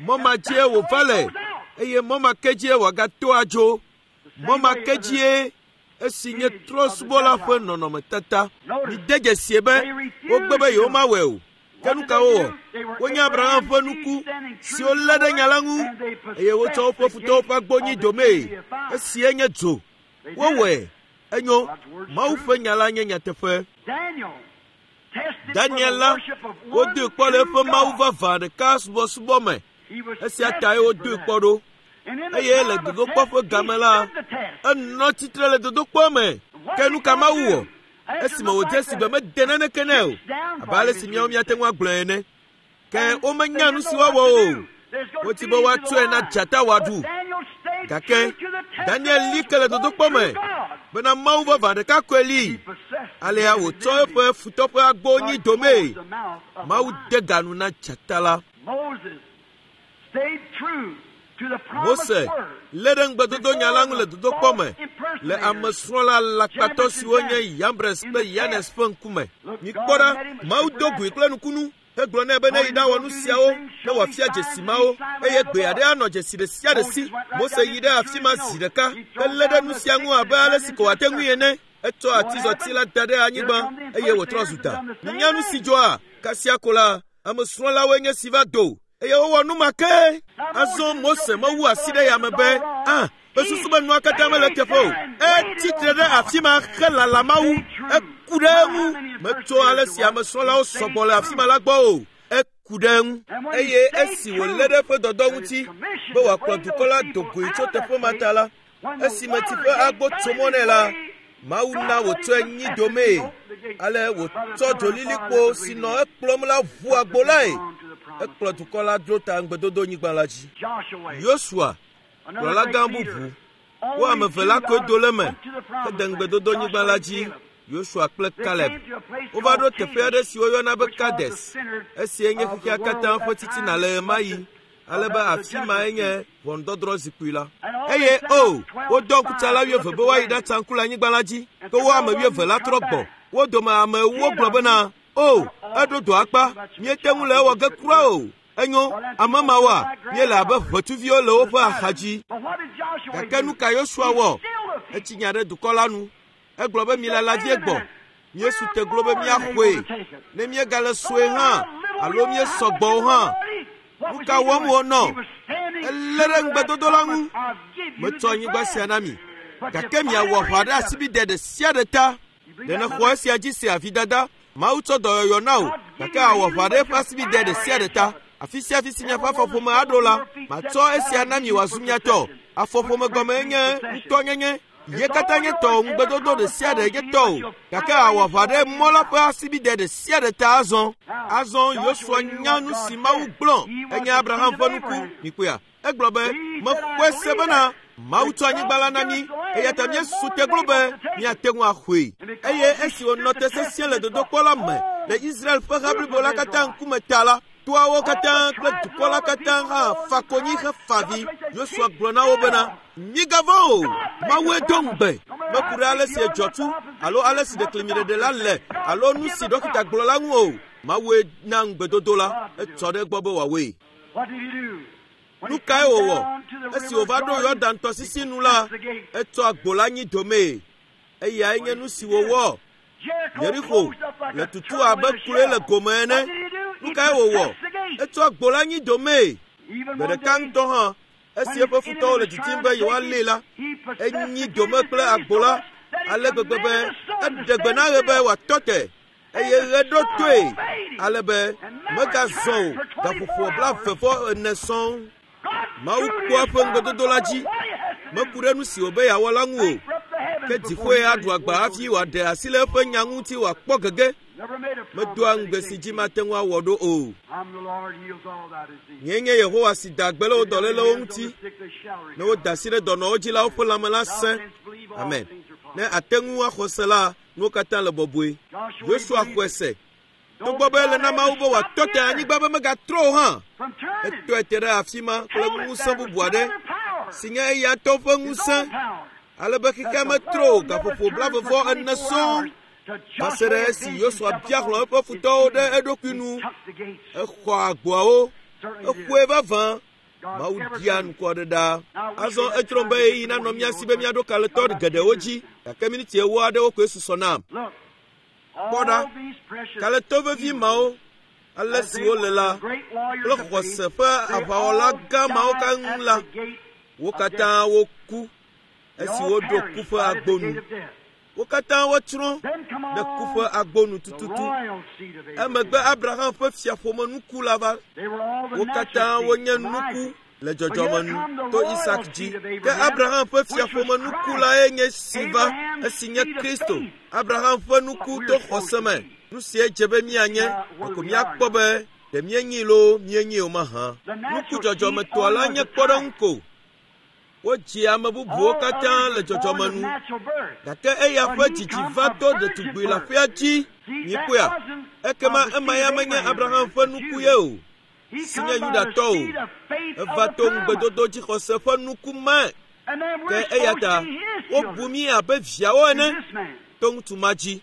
Mɔ ma dzie wòva le eye mɔ ma ke dzie wòagato adzo. Mɔ ma ke dzie esi nye trɔ̃subɔla ƒe nɔnɔmetata. Mide dzesie be wogbe be yewomawɔe o. Ke nu ka wowɔ? Wonye Abraham ƒe nuku siwo lé ɖe nya la ŋu eye wotsɔ woƒe futɔwo ƒe agbo nyi domee. Esie nye dzo. Wowɔe. Enyo, Mawu ƒe nya la nye nyateƒe. Daniel la, wodoe kpɔ le eƒe Mawu vavã ɖeka subɔsubɔ me. Esia tae wodoe kpɔ ɖo. Eye le dodokpɔ ƒe game la, enɔ tsitre le dodokpɔ me. Ke nu ka Mawu wɔ? Esime wòdze si be mede naneke nɛ o, abe ale si míawo míate ŋu agblɔe ene. Ke womenya nu si woawɔ o. Wodi be woatsɔe na dzata wòaɖu. Gake Daniel li ke le dodokpɔ me bena Mawu vavã ɖeka koe li. Alea wòtsɔ eƒe futɔ ƒe agbo nyi domee. Mawu de ga nu na dzata la. Mose lé ɖe ŋugbedodonya la ŋu le dodokpɔ me le amesrɔ̃la alakpatɔ siwo nye Yambres kple Yanes ƒe ŋkume. Mikpɔ ɖa, Mawu do goe kple nukunu hegblɔ nɛ be ne yi ɖawɔ nu siawo ne wòafia dzesi mawo eye gbe aɖe anɔ dzesi ɖe sia ɖe si. Mose yi ɖe afi ma zi ɖeka helé ɖe nu sia ŋu abe ale si ko wòate ŋui ene. Etsɔ atizɔti la da ɖe anyigba eye wòtrɔ zu da. Minya nu si dzɔa? Kasia ko la, Ame srɔ̃lawoe nye si va do eye wowɔ nu ma ke. Azɔ Mose mewu asi ɖe yame be, ah, mesusu be nua katã mele teƒe o. Etsi tre ɖe afi ma helala Mawu. Eku ɖe eŋu. Metso ale si ame srɔ̃lawo sɔgbɔ le afi ma la gbɔ o. Eku ɖe eŋu. Eye esi wòlé ɖe eƒe dɔdɔ ŋuti be wòakplɔ dukɔ la do goe tso teƒe ma ta la, esime tsi ƒe agbo tso mɔ nɛ la, Mawu na wòtsɔe nyi domee. Ale wòtsɔ dzolilikpo si nɔ ekplɔm la ʋu agbo lae. Ekplɔ dukɔ la dro ta ŋugbedodonyigba la dzi. Yosua, kplɔla gã bubu, wo ame eve la koe do le eme hede ŋugbedodonyigba la dzi, Yosua kple Kaleb. Wova ɖo teƒe aɖe si woyɔna be Kades. Esia nye xexea katã ƒe titina le ɣemaɣi. Ale be afi mae nye ʋɔnudɔdrɔ̃ zikpui la. Eye o, wodɔ ŋkutsala wuieve be woayi ɖatsa ŋku le anyigba la dzi, ke wo ame wuieve la trɔ gbɔ. Wo dome ame ewo gblɔ bena, O, eɖo dɔ akpa, míete ŋu le ewɔ ge kura o. Enyo, ame mawoa, míele abe ʋetsuviwo le woƒe axa dzi. Gake nu ka Yosua wɔ? Etsi nya ɖe dukɔ la nu. Egblɔ be milala vie gbɔ. Míesu te glo be míaxɔe. Ne míegale sue hã alo míesɔ gbɔ o hã, nu ka wɔm wònɔ? Elé ɖe ŋugbedodo la ŋu. Metsɔ anyigba sia na mi, gake miawɔ aʋa ɖe asibidɛ ɖe sia ɖe ta. Ɖe nèxɔ esia dzi sea, vidada? Mawu tsɔ dɔyɔyɔ na wò, gake àwɔ aʋa ɖe eƒe asibidɛ ɖe sia ɖe ta. Afi sia afi si miaƒe afɔƒome aɖo la, matsɔ esia na mi wòazu mia tɔ. Afɔƒome gɔmee nye ŋutɔnyenye. Ye katã nye tɔwò, ŋugbedodo ɖe sia ɖe nye tɔwò, gake àwɔ aʋa ɖe mɔ la ƒe asibidɛ ɖe sia ɖe ta azɔ. Azɔ Yosua nya nu si Mawu gblɔ. Enye Abraham ƒe nuku. Mikpɔea? Egblɔ be, Mexɔe se bena Mawu tsɔ anyigba la na mí, eya ta míesu te glo be míate ŋu axɔe. Eye esi wònɔ te sesĩe le dodokpɔ la me le Israel ƒe ha blibo la katã ŋkume ta la, toawo katã kple dukɔ la katã hã fa konyi hefa avi. Yosua gblɔ na wo bena, Migavɔ̃ o, Mawue do ŋugbe. Meku ɖe ale si edzɔ tu alo ale si ɖeklemiɖeɖe la le alo nu si ɖɔkita gblɔ la ŋu o. Mawue na ŋugbedodo la, etsɔ ɖe egbɔ be wòawɔe. Nu kae wòwɔ? Esi wòva ɖo Yɔdan tɔsisi nu la, etsɔ agbo la nyi domee. Eyae nye nu si wòwɔ. Yerixo le tutu abe kloe le gome ene. Nu kae wòwɔ? Etsɔ agbo la nyi domee. Gbe ɖeka ŋutɔ hã, esi eƒe futɔwo le didim be yewoalée la, enyi dome kple agbo la ale gbegbe be eɖe gbe na ɣe be wòatɔ te eye ɣe ɖo toe ale be megazɔ o gaƒoƒo 24 sɔŋ. Mawu kpɔa eƒe ŋugbedodo la dzi. Meku ɖe nu si wòbe yeawɔ la ŋu o, ke dziƒoe aɖu agba hafi wòaɖe asi le eƒe nya ŋuti wòakpɔ gege. Medoa ŋugbe si dzi mate ŋu awɔ ɖo o. Nyee nye Yehowa si da gbe le wo dɔlélewo ŋuti. Ne woda asi ɖe dɔnɔwo dzi la, woƒe lãme la sẽ. Amen. Ne àte ŋu axɔ se la, nuwo katã le bɔbɔe. Yosua xɔe se. Togbɔ be ele na Mawu be wòatɔ te anyigba be megatrɔ o hã, etɔe te ɖe afi ma kple ŋusẽ bubu aɖe si nye eya ŋutɔ ƒe ŋusẽ, ale be xexea metrɔ o gaƒoƒo 44 sɔŋ va se ɖe esi Yosua bia hlɔ̃ eƒe futɔwo ɖe eɖokui nu. Exɔ agboawo, exɔe vavã. Mawu dia ŋkɔ aɖe ɖa. Azɔ edzrom be ɣeyiɣi nanɔ mía si be míaɖo kalẽtɔ geɖewo dzi, gake miniti ewo aɖewo koe susɔ nam. Kpɔ ɖa, kalẽtɔ vevi mawo, ale si wole la, kple xɔse ƒe aʋawɔla gã mawo keŋ la, wo katã woku esi woɖo ku ƒe agbo nu. Wo katã wotsrɔ̃ ɖe ku ƒe agbo nu tututu. Emegbe Abraham ƒe fiaƒome nuku la va. Wo katã wonye nuku le dzɔdzɔme nu to Isak dzi. Ke Abraham ƒe fiaƒome nuku lae nye si va, esi nye Kristo. Abraham ƒe nuku to xɔse me. Nu siae dze be míanye, ɖeko míakpɔ be ɖe míenyii loo míenyii o mahã. Nuku dzɔdzɔmetɔa la nye kpɔɖeŋu ko. Wodzi ame bubuwo katã le dzɔdzɔme nu, gake eya ƒe dzidzi va to ɖetugbui leaƒea dzi. Mikpɔea? Ekema ema ya menye Abraham ƒe nuku ye o, si nye Yudatɔ o. Eva to ŋugbedodo dzixɔse ƒe nuku me. Ke eya ta wobu mí abe viawo ene to ŋutsu ma dzi.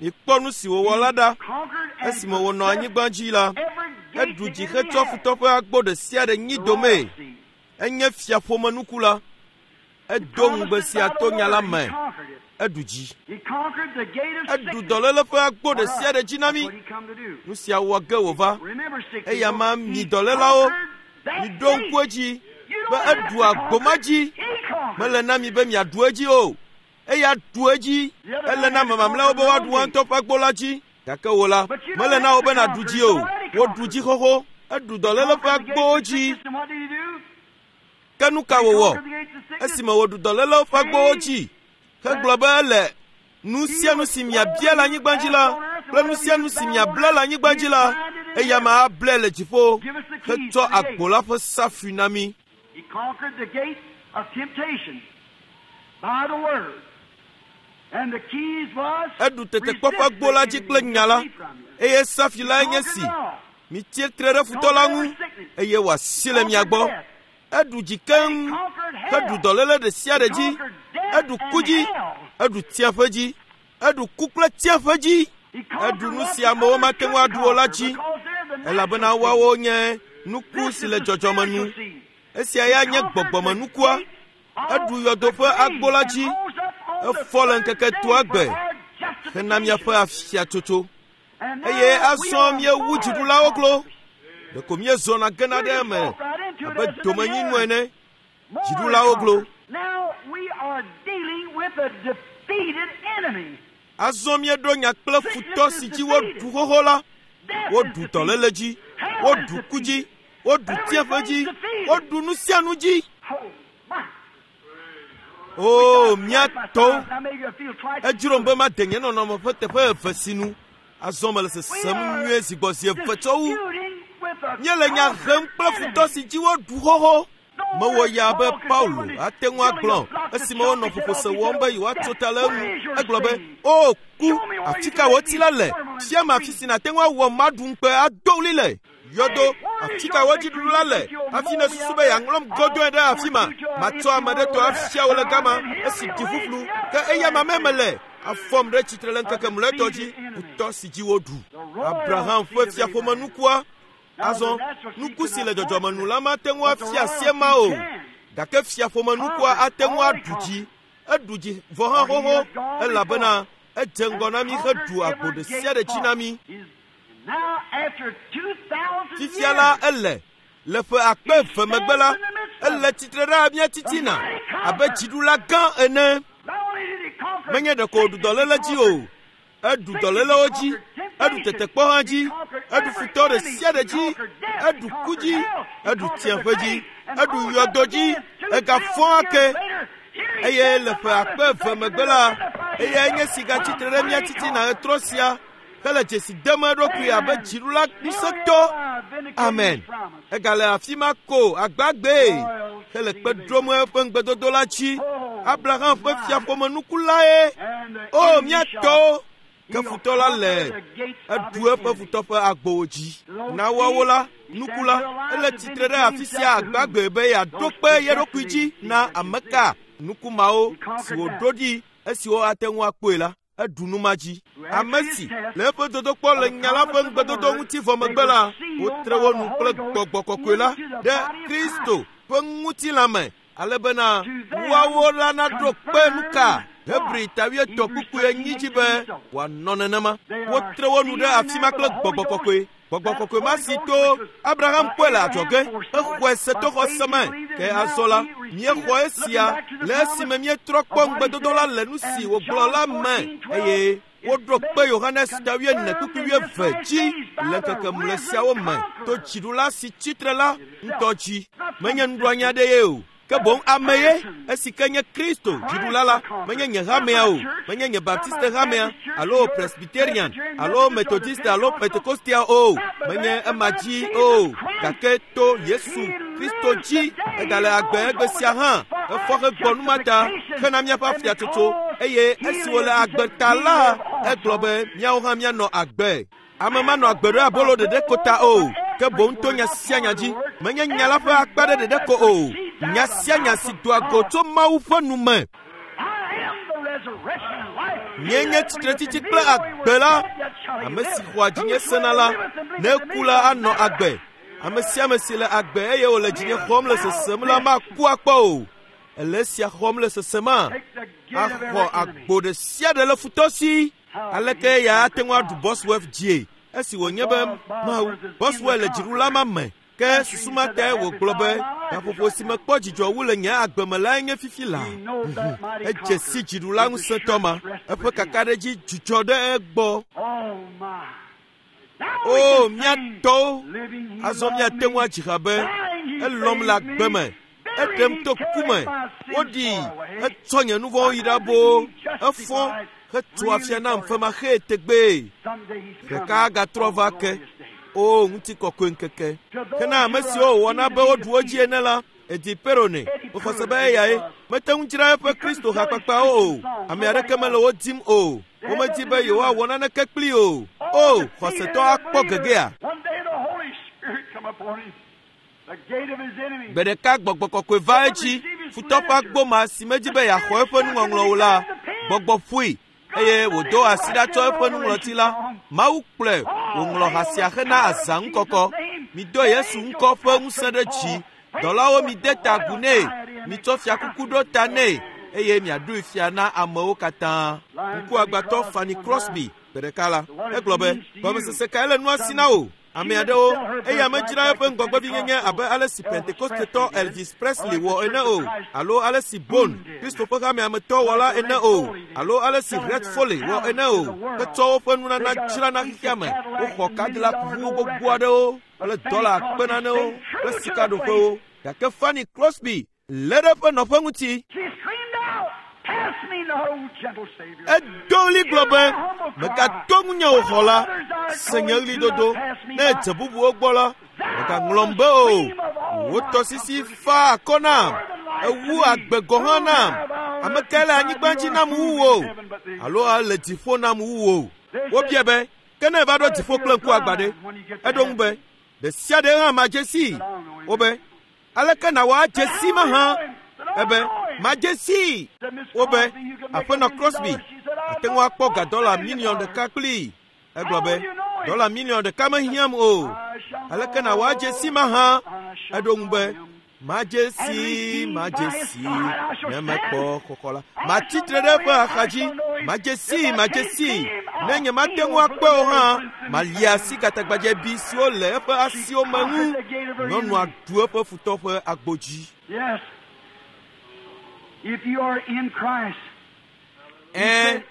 Mikpɔ nu si wòwɔ la ɖa. Esime wònɔ anyigba dzi la, eɖu dzi hetsɔ futɔ ƒe agbo ɖe sia ɖe nyi domee. Enye fiaƒomenuku la. Edo ŋugbe sia to nya la me. Eɖu dzi. Eɖu dɔléle ƒe agbo ɖe sia ɖe dzi na mí. Nu sia wɔ ge wòva. Eya ma mi dɔlélawo, miɖo ŋku edzi be eɖu agbo ma dzi. Mele na mi be miaɖu edzi o. Eya ɖu edzi. Ele na ame mamlɛawo be woaɖu woa ŋutɔ ƒe agbo la dzi. Gake wò la, mele na wò be nàɖu dzi o. Woɖu dzi xoxo. Eɖu dɔléle ƒe agbowo dzi. Ke nu ka wòwɔ esime wòɖu dɔlélewo ƒe agbowo dzi hegblɔ be ele nu sia nu si miabia le anyigba dzi la kple nu sia nu si miabla le anyigba dzi la, eya ma ablae le dziƒo hetsɔ agbo la ƒe safui na mí. He conquered the gate of temptation by the word. And the keys was Eɖu tetekpɔ ƒe agbo la dzi kple nya la, eye safi lae nye si. Mitie tre ɖe futɔ la ŋu, eye wòasi le mia gbɔ. Eɖu dzi keŋ, heɖu dɔléle ɖe sia ɖe dzi, eɖu ku dzi, eɖu tsiaƒe dzi, eɖu ku kple tsiaƒe dzi, eɖu nu si amewo mate ŋu aɖu o la dzi, elabena woawo nye nuku si le dzɔdzɔme nu. Esia ya nye gbɔgbɔmenukua. Eɖu yɔdo ƒe agbo la dzi, efɔ le ŋkeke etɔ̃a gbe hena míaƒe afiatsotso. Eye azɔ míewu dziɖulawo klo. Ɖeko míezɔna gena ɖe eme abe domenyinu ene. Dziɖulawo klo. Now we are dealing with a defeated enemy. Azɔ míeɖo nya kple futɔ si dzi woɖu xoxo la. Woɖu dɔléle dzi, woɖu ku dzi, woɖu tsiaƒe dzi, woɖu nu sia nu dzi. Oh, my. O, mía tɔwo, Now maybe I feel twice. edzrom be made nye nɔnɔme ƒe teƒe eve si nu. Azɔ mele sesem nyuie zi gbɔ zi eve tsɔ wu. Disputing with a Míele nya hem kple futɔ si dzi woɖu xoxo. Mewɔ yaa be Paulo ate ŋu agblɔ esime wonɔ ƒoƒose wɔm be yewoatso ta le eŋu. Egblɔ be, “O ku, afi ka wò tsi la le? Fiam afi si nàte ŋu awɔ maɖu ŋukpe ado ɣli le. Yɔdo, afi ka wò dziɖuɖu la le? Hafi nèsusu be yeaŋlɔm gɔdɔe ɖe afi ma. Matsɔ ame ɖe tɔ afia wò le gama esi ɖi ƒuƒlu. Ke eya mamɛ mele. Afɔm ɖe tsitre le ŋkeke mlɔetɔ dzi, futɔ si dzi woɖu. Abraham ƒe fiaƒomenukua. Azɔ, nuku si le dzɔdzɔme nu la mate ŋu afia asie ma o. Gake fiaƒomenukua ate ŋu aɖu dzi. Eɖu dzi vɔ hã xoxo, elabena edze ŋgɔ na mí heɖu agbo ɖe sia ɖe dzi na mí. Now after 2,000 Fifia la years, ele le ƒe akpe eve megbe la, ele tsitre ɖe mía titina abe dziɖula gã ene. not only did he conquer Menye ɖeko wòɖu dɔléle dzi o, eɖu dɔlélewo dzi, eɖu tetekpɔ hã dzi, eɖu futɔ ɖe sia ɖe dzi, eɖu ku dzi, eɖu tsiaƒe dzi, eɖu yɔdo dzi, egafɔ ake. Eye le ƒe akpe eve megbe la, eyae nye si gatsitre ɖe mía titina ɣetrɔ sia hele dzesi dem eɖokui abe dziɖula ŋusẽtɔ. Amen. Egale afi ma ko agbagbee hele kpe ɖom eƒe ŋugbedodo la dzi. Abraham ƒe fiaƒomenukulae. O, mía tɔwo, ke futɔ la le eɖu eƒe futɔ ƒe agbowo dzi. Na woawo la, nuku la, ele tsitre ɖe afi sia agbagbe be yeaɖo kpe ye ɖokui dzi na ame ka nuku mawo si wòɖo ɖi esiwo ate ŋu akpɔe la. Eɖu nu ma dzi. Ame si le eƒe dodokpɔ le nya la ƒe ŋugbedodo ŋuti vɔ megbe la, wotre wo nu kple gbɔgbɔ kɔkɔe la ɖe Kristo ƒe ŋutilã me ale bena woawo la naɖo kpe nu ka Hebri ta wuietɔ̃ kpukpui enyi dzi be wòanɔ nenema. Wotre wo nu ɖe afi ma kple gbɔgbɔ kɔkɔe. Gbɔgbɔ kɔkɔe ma si to Abraham kpɔe le adzɔge hexɔe se to xɔse me. Ke azɔ la, míexɔ esia le esime míetrɔ kpɔ ŋugbedodo la le nu si wògblɔ la me eye woɖo kpe Yohanes ta wuiene kpukpui wuieve dzi le ŋkeke mlɔe siawo me to dziɖula si tsitre la ŋutɔ dzi. Menye nuɖoanyi aɖe ye o. Ke boŋ ame ye, esi ke nye Kristo dziɖula la, menye nye hamea o, menye nye Baptiste hamea, alo Presbyterian, alo Methodiste alo Pentecostia o, menye ema dzi o, gake to Yesu Kristo dzi, egale agbe egbe sia hã, efɔ hegbɔ nu ma ta hena míaƒe afiatsotso, eye esi wòle agbe ta la, egblɔ be míawo hã míanɔ agbe. Ame manɔ agbe ɖe abolo ɖeɖe ko ta o, ke boŋ to nya sia nya dzi. Menye nya la ƒe akpa ɖe ɖeɖe ko o, nya sia nya si doa go tso Mawu ƒe nu me. I am the resurrection and life. Nye nye tsitretsitsi kple agbe la. Ame si xɔa dzinye sena la, ne eku la anɔ agbe. Ame sia ame si le agbe eye wòle dzinye xɔm le sesem la maku akpɔ o. Èle esia xɔm le sesema? Axɔ agbo ɖe sia ɖe le futɔ si. Aleke eya ate ŋu aɖu Bosworth dzie? Esi wònye be Mawu, Boswell le dziɖula ma me, ke susu ma tae wògblɔ be gaƒoƒo si mekpɔ dzidzɔ wu le nye agbe me lae nye fifi laa. Edze si dziɖula ŋusẽtɔ ma. Eƒe kakaɖedzi dzudzɔ ɖe egbɔ. O, mía tɔwo, azɔ míate ŋu adzi ha be, Elɔ̃m le agbe me, eɖem to ku me, woɖii, etsɔ nye nu vɔ̃wo yi ɖa boo, efɔ hetso afia nam femaxee tegbee. Ɖeka agatrɔ va ke. O, ŋutikɔkɔe ŋkeke! Ke na ame siwo wòwɔ na be woɖu wo dzi ene la, Edi Perowne, mexɔ se be eyae. Mete ŋu dzra eƒe Kristo hakpakpawo o. Ame aɖeke mele wo dim o. Womedi be yewoawɔ naneke kplii o. O, xɔsetɔ akpɔ gegea. Gbe ɖeka gbɔgbɔ kɔkɔe va edzi, futɔ ƒe agbo ma si medi be yeaxɔ eƒe nuŋɔŋlɔ o la, gbɔgbɔ ƒoe eye wòdo asi ɖa tsɔ eƒe nuŋlɔti la. Mawu kplɔe wòŋlɔ ha sia hena azã ŋukɔkɔ. Mido Yesu ŋkɔ ƒe ŋusẽ ɖe dzi. Dɔlawo mide ta agu nɛ, mitsɔ fiakuku ɖo ta nɛ eye miaɖoe fia na amewo katã. Ŋkuagbãtɔ Fanny Crosby gbe ɖeka la, egblɔ be, Gɔmesese kae le nua si na wò? Ame aɖewo, eya medzra eƒe ŋgɔgbevinyenye abe ale si Pentekostetɔ Elvis Presley wɔ ene o, alo ale si Bone, Kristo ƒe hamea me tɔ wɔ la ene o, alo ale si Red Foley wɔ ene o, hetsɔ woƒe nunana dzra na xexea me. Woxɔ Cadillac ʋu gbogbo aɖewo kple dɔla akpe nanewo kple sikaɖoƒewo. Gake Fanny Crosby lé ɖe eƒe nɔƒe ŋuti. Edo ɣli gblɔ be, Mègato ŋunye o xɔla, se nye ɣlidodo. Ne èdze bubuwo gbɔ la, mègaŋlɔm be o. Wò tɔsisi faa akɔ nam, èwu agbe gɔ̃ hã nam. Ame kae le anyigba dzi nam wu wò, alo ele dziƒo nam wu wò? Wobiae be, Ke ne èva ɖo dziƒo kple ŋku agbã ɖe? Eɖo eŋu be, Ɖe sia ɖe hã madze sii. Wobe, Aleke nàwɔ adze sii mahã? Ebe, Madze sii. Wobe, Aƒenɔ Crosby, àte ŋu akpɔ ga dɔla miliɔn ɖeka kplii. Egblɔ be, Dɔla miliɔn ɖeka mehiãm o. Aleke nàwɔ adze sii mahã? Eɖo ŋu be, Madze sii, madze sii, ne mekpɔ xɔxɔ la. Matsi tre ɖe eƒe axadzi. Madze sii, madze sii, ne nyemate ŋu akpɔe o hã, malia asi gatagbadzɛbi siwo le eƒe asiwo me ŋu. Nyɔnua ɖu eƒe futɔ ƒe agbo dzi. Ɛ̃,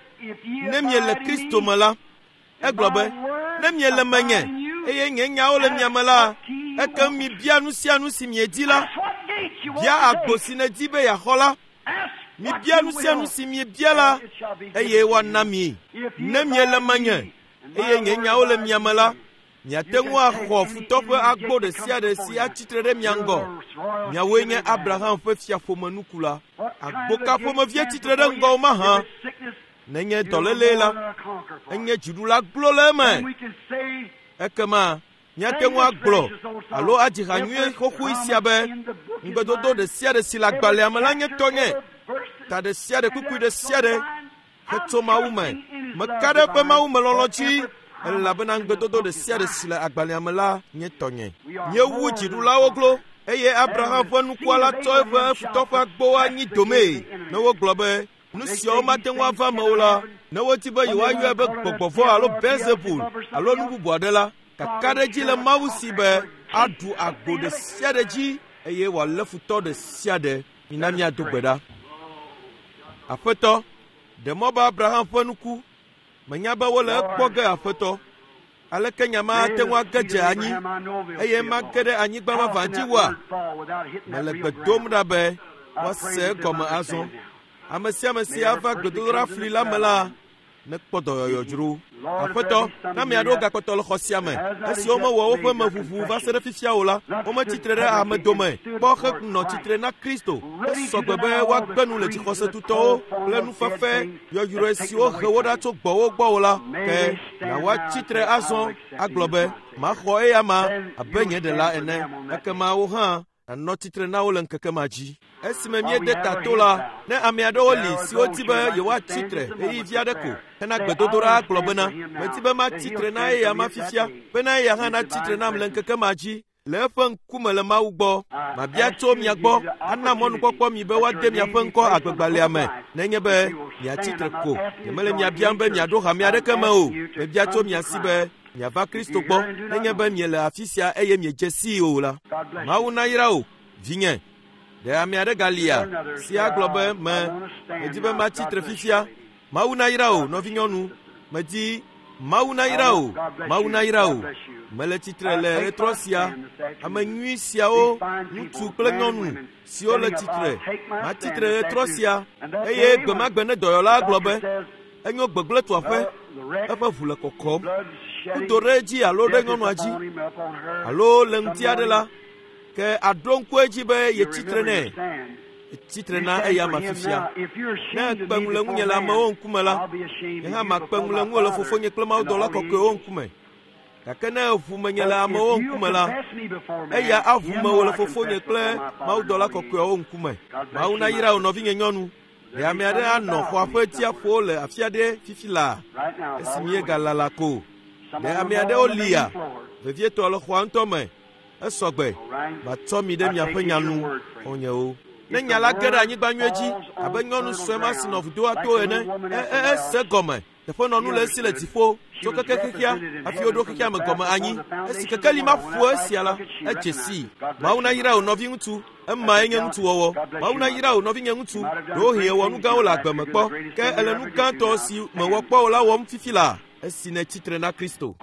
ne miele Kristo me la, Egblɔ be, Ne miele menye, eye nye nyawo le mia me la, ekem mibia nu sia nu si miedi la. Bia agbo si nèdi be yeaxɔ la. Mibia nu sia nu si miebia la, eye woana mi. Ne miele menye, eye nye nyawo le mia me la, miate ŋu axɔ futɔ ƒe agbo ɖe sia ɖe si atsi tre ɖe mia ŋgɔ. Miawoe nye Abraham ƒe fiaƒomenukula. Agbo ka ƒomevie tsi tre ɖe ŋgɔwò mahã? Nenye dɔlélee la, enye dziɖula glo le eme. Ekema míate ŋu agblɔ alo adzi ha nyuie xoxoe sia be, Ŋugbedodo ɖe sia ɖe si le agbalẽa me la nye tɔnye. Ta ɖe sia ɖe kpukpui ɖe sia ɖe hetso Mawu me. Meka ɖe eƒe Mawu me lɔlɔ̃ dzi elabena ŋugbedodo ɖe sia ɖe si le agbalẽa me la nye tɔnye. Míewu dziɖulawo glo eye Abraham ƒe nukua la tsɔ eƒe futɔ ƒe agbowo anyi domee ne wogblɔ be Nu siawo mate ŋu ava eme o la, ne wodi be yewoayɔe be gbɔgbɔ vɔ̃ alo Beelzebul alo nu bubu aɖe la, kakaɖedzi le Mawu si be aɖu agbo ɖe sia ɖe dzi eye wòalé futɔ ɖe sia ɖe. Mina míado gbe ɖa. Aƒetɔ, ɖe mɔ be Abraham ƒe nu ku. Menya be wole ekpɔ ge, Aƒetɔ. Aleke nya ma ate ŋu age dze anyi eye mage ɖe anyigba vavã dzi wua? Mele gbe dom ɖa be woase egɔme azɔ. Ame sia ame si ava gbedodoɖa fli la me la nekpɔ dɔyɔyɔ dzro. Aƒetɔ, ne ame aɖewo gakpɔtɔ le xɔ sia me, esi womewɔ woƒe meʋuʋu va se ɖe fifia o la, wometsi tre ɖe ame dome kpɔ henɔ tsitre na Kristo. Esɔ gbe be woagbe nu le dzixɔse tutɔwo kple nufefe yɔyrɔe siwo he wo ɖa tso gbɔwò gbɔ o la, ke na woatsi tre azɔ agblɔ be, Maxɔ eyama abe nye ɖela ene. Ekema wò hã nànɔ tsitre na wo le ŋkeke ma dzi. Esime míede ta to la, ne ame aɖewo li siwo di be yewoatsi tre ɣeyiɣi vi aɖe ko hena gbedodoɖa agblɔ bena, Medi be matsi tre na eyama fifia, bena eya hã natsi tre nam le ŋkeke ma dzi. le eƒe ŋkume le Mawu gbɔ. Mabia tso mia gbɔ ana mɔnukpɔkpɔ mi be woade miaƒe ŋkɔ agbegbalẽa me nenye be miatsi tre ko. Nyemele mia biam be miaɖo hame aɖeke me o. Mebia tso mia si be miava Kristo gbɔ nenye be miele afi sia eye miedze sii o la. Mawu nayra wò, vinye. Ɖe ame aɖe galia si agblɔ be me medi be matsi tre fifia? Mawu nayra wò, nɔvinyɔnu. Medi Mawu nayra wò, Mawu nayra wò. Mele tsitre le ɣetrɔ sia. Ame nyui siawo, ŋutsu kple nyɔnu siwo le tsitre, matsi tre ɣetrɔ sia. Eye gbe ma gbe ne dɔyɔla gblɔ be enyo gbegblẽ tu aƒe, eƒe ʋu le kɔkɔm, kudo ɖe edzi alo ɖe nyɔnua dzi alo le ŋuti aɖe la, ke aɖo ŋku edzi be yetsi tre nɛ. Etsi tre na eya ma fifia. Ne ekpe ŋu le ŋunye le amewo ŋkume la, nye hã makpe ŋu le ŋuwò le fofonye kple mawudɔla kɔkɔewo ŋkume. Gake ne eʋu menye le amewo ŋkume la, eya aʋu mewò le fofonye kple mawudɔla kɔkɔeawo ŋkume. Mawu nayra wò nɔvinye nyɔnu. Ɖe ame aɖe anɔ xɔa ƒe tsiaƒo le afi aɖe fifi laa esi míegalala ko? Ɖe ame aɖewo lia, vevietɔ le xɔa ŋutɔ me? Esɔgbe, matsɔ mi ɖe miaƒe nya nu, xɔ̃nyewo. Ne nya la ge ɖe anyigba nyuie dzi abe nyɔnu sue ma si nɔ vudoa to ene, e, ese gɔme. Teƒenɔnu le esi le dziƒo tso keke xexea hafi woɖo xexea me gɔme anyi. Esi kekeli ma ƒo esia la, edze sii. Mawu nayra wò nɔviŋutsu. Emae nye ŋutsuwɔwɔ. Mawu nayra wò nɔvinye ŋutsu. Ɖewohĩ èwɔ nu gãwo le agbe me kpɔ, ke èle nu gãtɔ si mèwɔ kpɔ o la wɔm fifi laa esi nètsi tre na Kristo.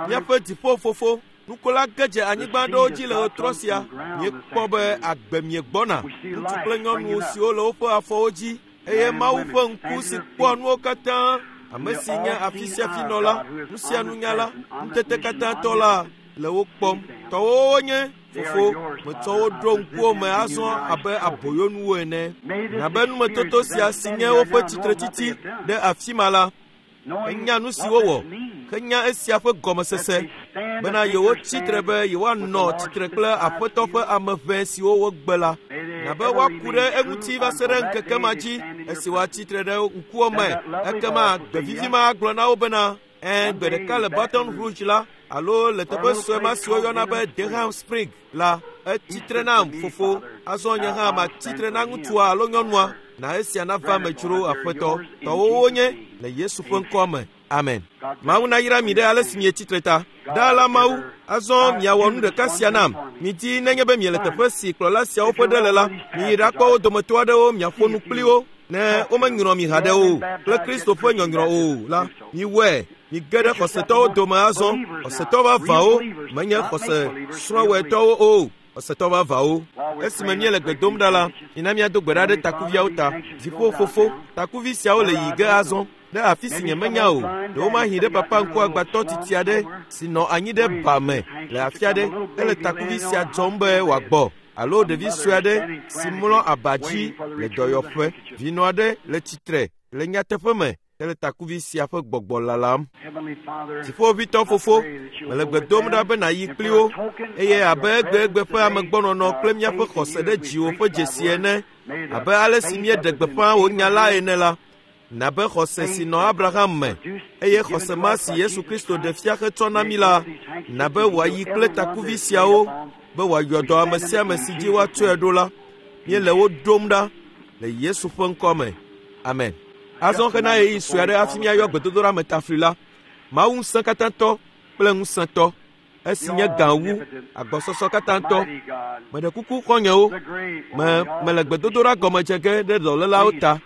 Míaƒe dziƒo Fofo, Nukola ge dze anyigba aɖewo dzi le ɣetrɔ sia. Míekpɔ be agbe miegbɔna, ŋutsu kple nyɔnu siwo le woƒe afɔwo dzi, eye Mawu ƒe ŋku si kpɔa nuwo katã, ame si nye afi sia afi nɔla, nu sia nunyala, ŋutete katã tɔ la, le wo kpɔm. Tɔwòwo wonye, Fofo, metsɔ wo ɖo ŋkuwò me azɔ abe aboyonuwo ene. Na be numetoto sia si nye woƒe tsitretsitsi ɖe afi ma la, Enya nu si wowɔ, henya esia ƒe gɔmesese bena yewotsi tre be yewoanɔ tsitre kple Aƒetɔ ƒe ame ʋɛ siwo wogbe la, na be woaku ɖe eŋuti va se ɖe ŋkeke ma dzi esi woatsi tre ɖe ŋkuwò me. Ekema gbe vivi ma agblɔ na wo bena, Ɛ̃, gbe ɖeka le Baton Rouge la, alo le teƒe sue ma si woyɔna be Durham Spring la, etsi tre nam, fofo. Azɔ nye hã matsi tre na ŋutsua alo nyɔnua. Na esia nava eme dzro, Aƒetɔ. Tɔwò wonye, le Yesu ƒe ŋkɔa me. Amen. Mawu nayra mi ɖe ale si mietsi tre ta. Ɖaa la, Mawu, azɔ miawɔ nu ɖeka sia nam. Midi nenye be miele teƒe si kplɔla siawo ƒe ɖe le la, miyi ɖakpɔ wo dometɔ aɖewo miaƒo nu kpli wo. Ne womenyrɔ mi haɖe o kple Kristo ƒe nyɔnyrɔ o la, miwɔe. Mige ɖe xɔsetɔwo dome azɔ, xɔsetɔ vavãwo, menye xɔse srɔ̃wɔetɔwo o. Xɔsetɔ vavãwo, esime míele gbe dom ɖa la, mina míado gbe ɖa ɖe takuviawo ta. Dziƒo Fofo, takuvi siawo le yiyi ge azɔ ɖe afi si nyemenya o. Ɖewomahi ɖe papa ŋkuagbãtɔ tsitsi aɖe si nɔ anyi ɖe ba me le afi aɖe hele takuvi sia dzɔm be wòagbɔ, alo ɖevi sue aɖe si mlɔ aba dzi le dɔyɔƒe. Vinɔ aɖe le tsitre le nyateƒe me hele takuvi sia ƒe gbɔgbɔ lalam. Dziƒoʋĩtɔ Fofo, mele gbe dom ɖa be nàyi kpli wo, eye abe egbegbe ƒe amegbɔnɔnɔ kple míaƒe xɔse ɖe dziwò ƒe dzesi ene, abe ale si míeɖe gbeƒã wò nya la ene la, na be xɔse si nɔ Abraham me, eye xɔse ma si Yesu Kristo ɖe fia hetsɔ na mí la, na be wòayi kple takuvi siawo be wòayɔ dɔ ame sia ame si dzi woatsɔe ɖo la. Míele wo ɖom ɖa le Yesu ƒe ŋkɔ me. Amen. Azɔ hena ɣeyiɣi sue aɖe hafi míayɔ gbedodoɖa me tafli la, Mawu ŋusẽkatãtɔ kple ŋusẽtɔ, esi nye gã wu agbɔsɔsɔ katãtɔ. Meɖe kuku xɔ̃nyewo, me mele gbedodoɖa gɔme dze ge ɖe dɔlélawo ta,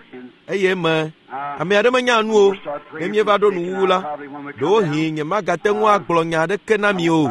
eye me ame aɖe menya nu o. Ne míeva ɖo nuwuwu la, ɖewohĩ nyemagate ŋu agblɔ nya aɖeke na mi o.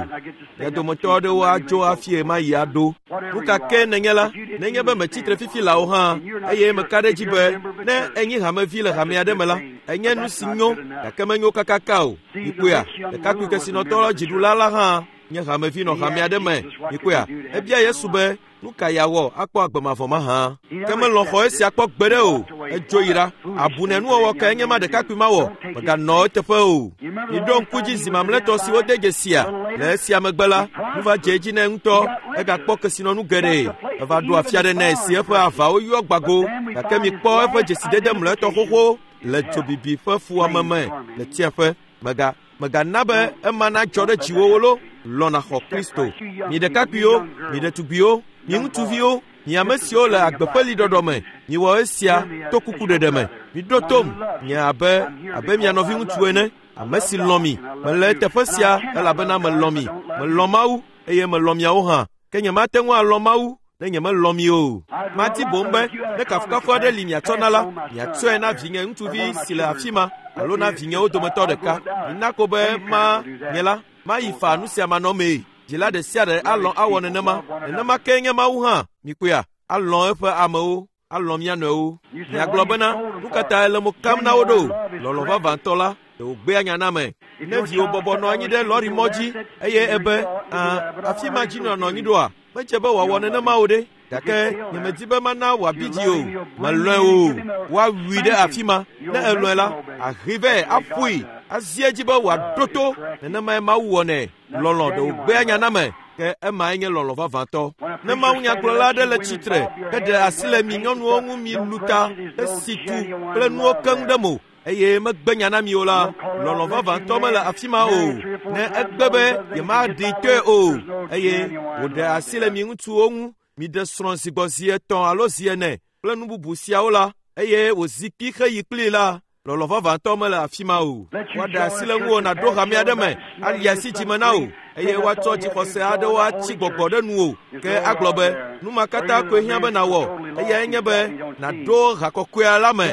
Mia dometɔ aɖewo adzo hafi ɣemaɣi aɖo. Nu ka ke nènye la, nenye be mètsi tre fifi laa o hã, eye meka ɖe edzi be ne ènyi hamevi le hame aɖe me la, enye nu si nyo, gake menyo kakaka o. Mikpɔea? Ɖekakpui kesinɔtɔ dziɖula la hã nye hamevi nɔ hame aɖe me. Mikpɔea? Ebia Yesu be nu ka yeawɔ akpɔ agbe mavɔ mahã. Ke melɔ̃ xɔ esia kpɔ gbeɖe o. Edzo yi ɖa. Abunɛ nuwɔwɔ kae nye ma ɖekakpui ma wɔ? Meganɔ eteƒe o. Miɖo ŋku dzi zi mamlɛtɔ si wode dzesia. Le esia megbe la, nu va dze edzi nɛ ŋutɔ. Egakpɔ kesinɔnu geɖe. Eva ɖo afi aɖe nɛ si eƒe avawo yɔ gbago. Gake mikpɔ eƒe dzesidede mlɔetɔ xoxo le dzobibi ƒe fuwɔame me le tsiẽƒe. Mega. Mègana be ema nadzɔ ɖe dziwòwo lo. Lɔ̃ nàxɔ Kristo. Mi ɖekakpuiwo, mi ɖetugbiwo, mi ŋutsuviwo, mi ame siwo le agbe ƒe liɖɔɖɔ me, miwɔ esia to kukuɖeɖe me. Miɖo tom, nye abe abe mia nɔviŋutsu ene, ame si lɔ̃ mi. Mele teƒe sia elabena melɔ̃ mi. Melɔ̃ Mawu eye melɔ̃ miawo hã. Ke nyemate ŋu alɔ̃ Mawu ne nyemelɔ̃ mi o. Madi boŋ be ne kafukafu aɖe li miatsɔ na la, miatsɔe na vinye ŋutsuvi si le afi ma alo na vinyewo dometɔ ɖeka. Mina ko be ma nye la mayi faa nu sia manɔmee. Dzila ɖe sia ɖe alɔ̃ awɔ nenema. Nenema kee nye Mawu hã. Mikpɔea? Alɔ̃ eƒe amewo, alɔ̃ mía nɔewo. Miagblɔ bena, nu ka ta ele mo kam na wo ɖo? Lɔlɔ̃ vavãtɔ la, ɖe wògbea nya na ame. Ne viwò bɔbɔ nɔ anyi ɖe lɔrimɔ dzi eye ebe, "Ã, afi ma dzi nɔnɔ anyi ɖoa?" Medze be wòawɔ nenema o ɖe. Gake nyemedi be mana wòabi dzi o. Melɔ̃e o. Woawui ɖe afi ma. Ne elɔ̃e la, ahe vɛ aƒoe, azi edzi be wòaɖo to. Nenemae Mawu wɔnɛ. Lɔlɔ̃ ɖe wògbea nya na ame, ke emae nye lɔlɔ̃ vavãtɔ. Ne mawunyagblɔla aɖe le tsitre heɖe asi le mi nyɔnuwo ŋu milu ta hesi tu kple nuwo keŋ ɖe mo eye megbe nya na mi o la, lɔlɔ̃ vavãtɔ mele afi ma o. Ne egbe be yemaɖee tɔe o eye wòɖe asi le mi ŋutsuwo ŋu miɖe srɔ̃ zi gbɔ zi etɔ̃ alo zi ene kple nu bubu siawo la, eye wòzi kpi heyi kplii la, lɔlɔ̃ vavãtɔ mele afi ma o. Woaɖe asi le ŋuwò nàɖo hame aɖe me, ali asi dzime na wò, eye woatsɔ dzixɔse aɖewo atsi gbɔgbɔ ɖe nuwò. Ke agblɔ be, nu ma katã koe hiã be nàwɔ, eyae nye be nàɖo ha kɔkɔea la me.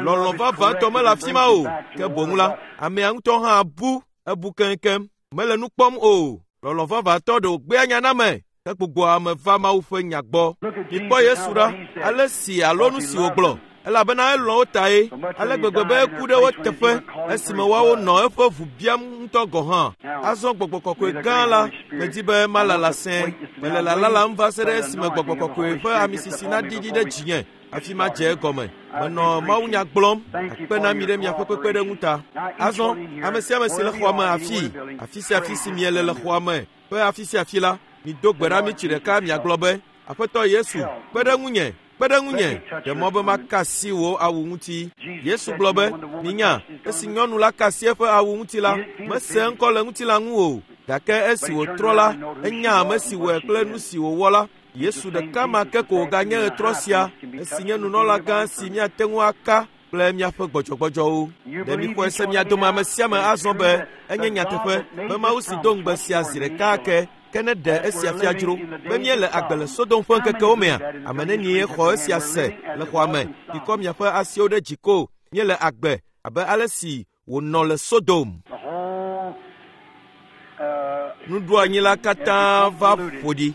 Lɔlɔ̃ vavãtɔ mele afi ma o. Ke boŋ la, amea ŋutɔ hã bu, ebu keŋkeŋ. Mele nu kpɔm o. Lɔlɔ̃ vavãtɔ ɖe wògbea nya na ame hegbugbɔa ame va Mawu ƒe nya gbɔ. Mikpɔ Yesu ɖa, ale si alo nu si wògblɔ, elabena elɔ̃ wo tae ale gbegbe be eku ɖe wo teƒe esime woawo nɔ eƒe ʋu biam ŋutɔ gɔ̃ hã. Azɔ Gbɔgbɔ Kɔkɔe gã la, medi be malala sẽe. Mele lalalam va se ɖe esime Gbɔgbɔ Kɔkɔe ƒe amisisi naɖiɖi ɖe dzinye hafi madze egɔme. Menɔ mawunya gblɔm akpe na mi ɖe miaƒe kpekpeɖeŋu ta. Azɔ, ame sia ame si le xɔa me afii, afi sia afi si miele le xɔa me ƒe afi sia afi la, mido gbe ɖa mitsi ɖeka miagblɔ be, Aƒetɔ Yesu, kpe ɖe ŋunye, kpe ɖe ŋunye, ɖe mɔ be maka asi wò awu ŋuti. Yesu gblɔ be, Minya, esi nyɔnu la ka asi eƒe awu ŋuti la, mese eŋkɔ le ŋutilã ŋu o, gake esi wòtrɔ la, enya ame si wɔe kple nu si wòwɔ la. Yesu ɖeka ma ke ko wòganye ɣetrɔ sia, esi nye nunɔlagã si míate ŋu aka kple míaƒe gbɔdzɔgbɔdzɔwo. Ɖe mixɔe se mia dome ame sia ame azɔ be enye nyateƒe be Mawu si do ŋugbe sia zi ɖeka ake, ke ne ɖe esia fia dzro be míele agbe le Sodom ƒe ŋkekewo mea? Ame nenie xɔ esia se le xɔa me? Mikɔ miaƒe asiwo ɖe dzi ko. Míele agbe abe ale si wònɔ le Sodom. Nuɖoanyi la katã va ƒo ɖi.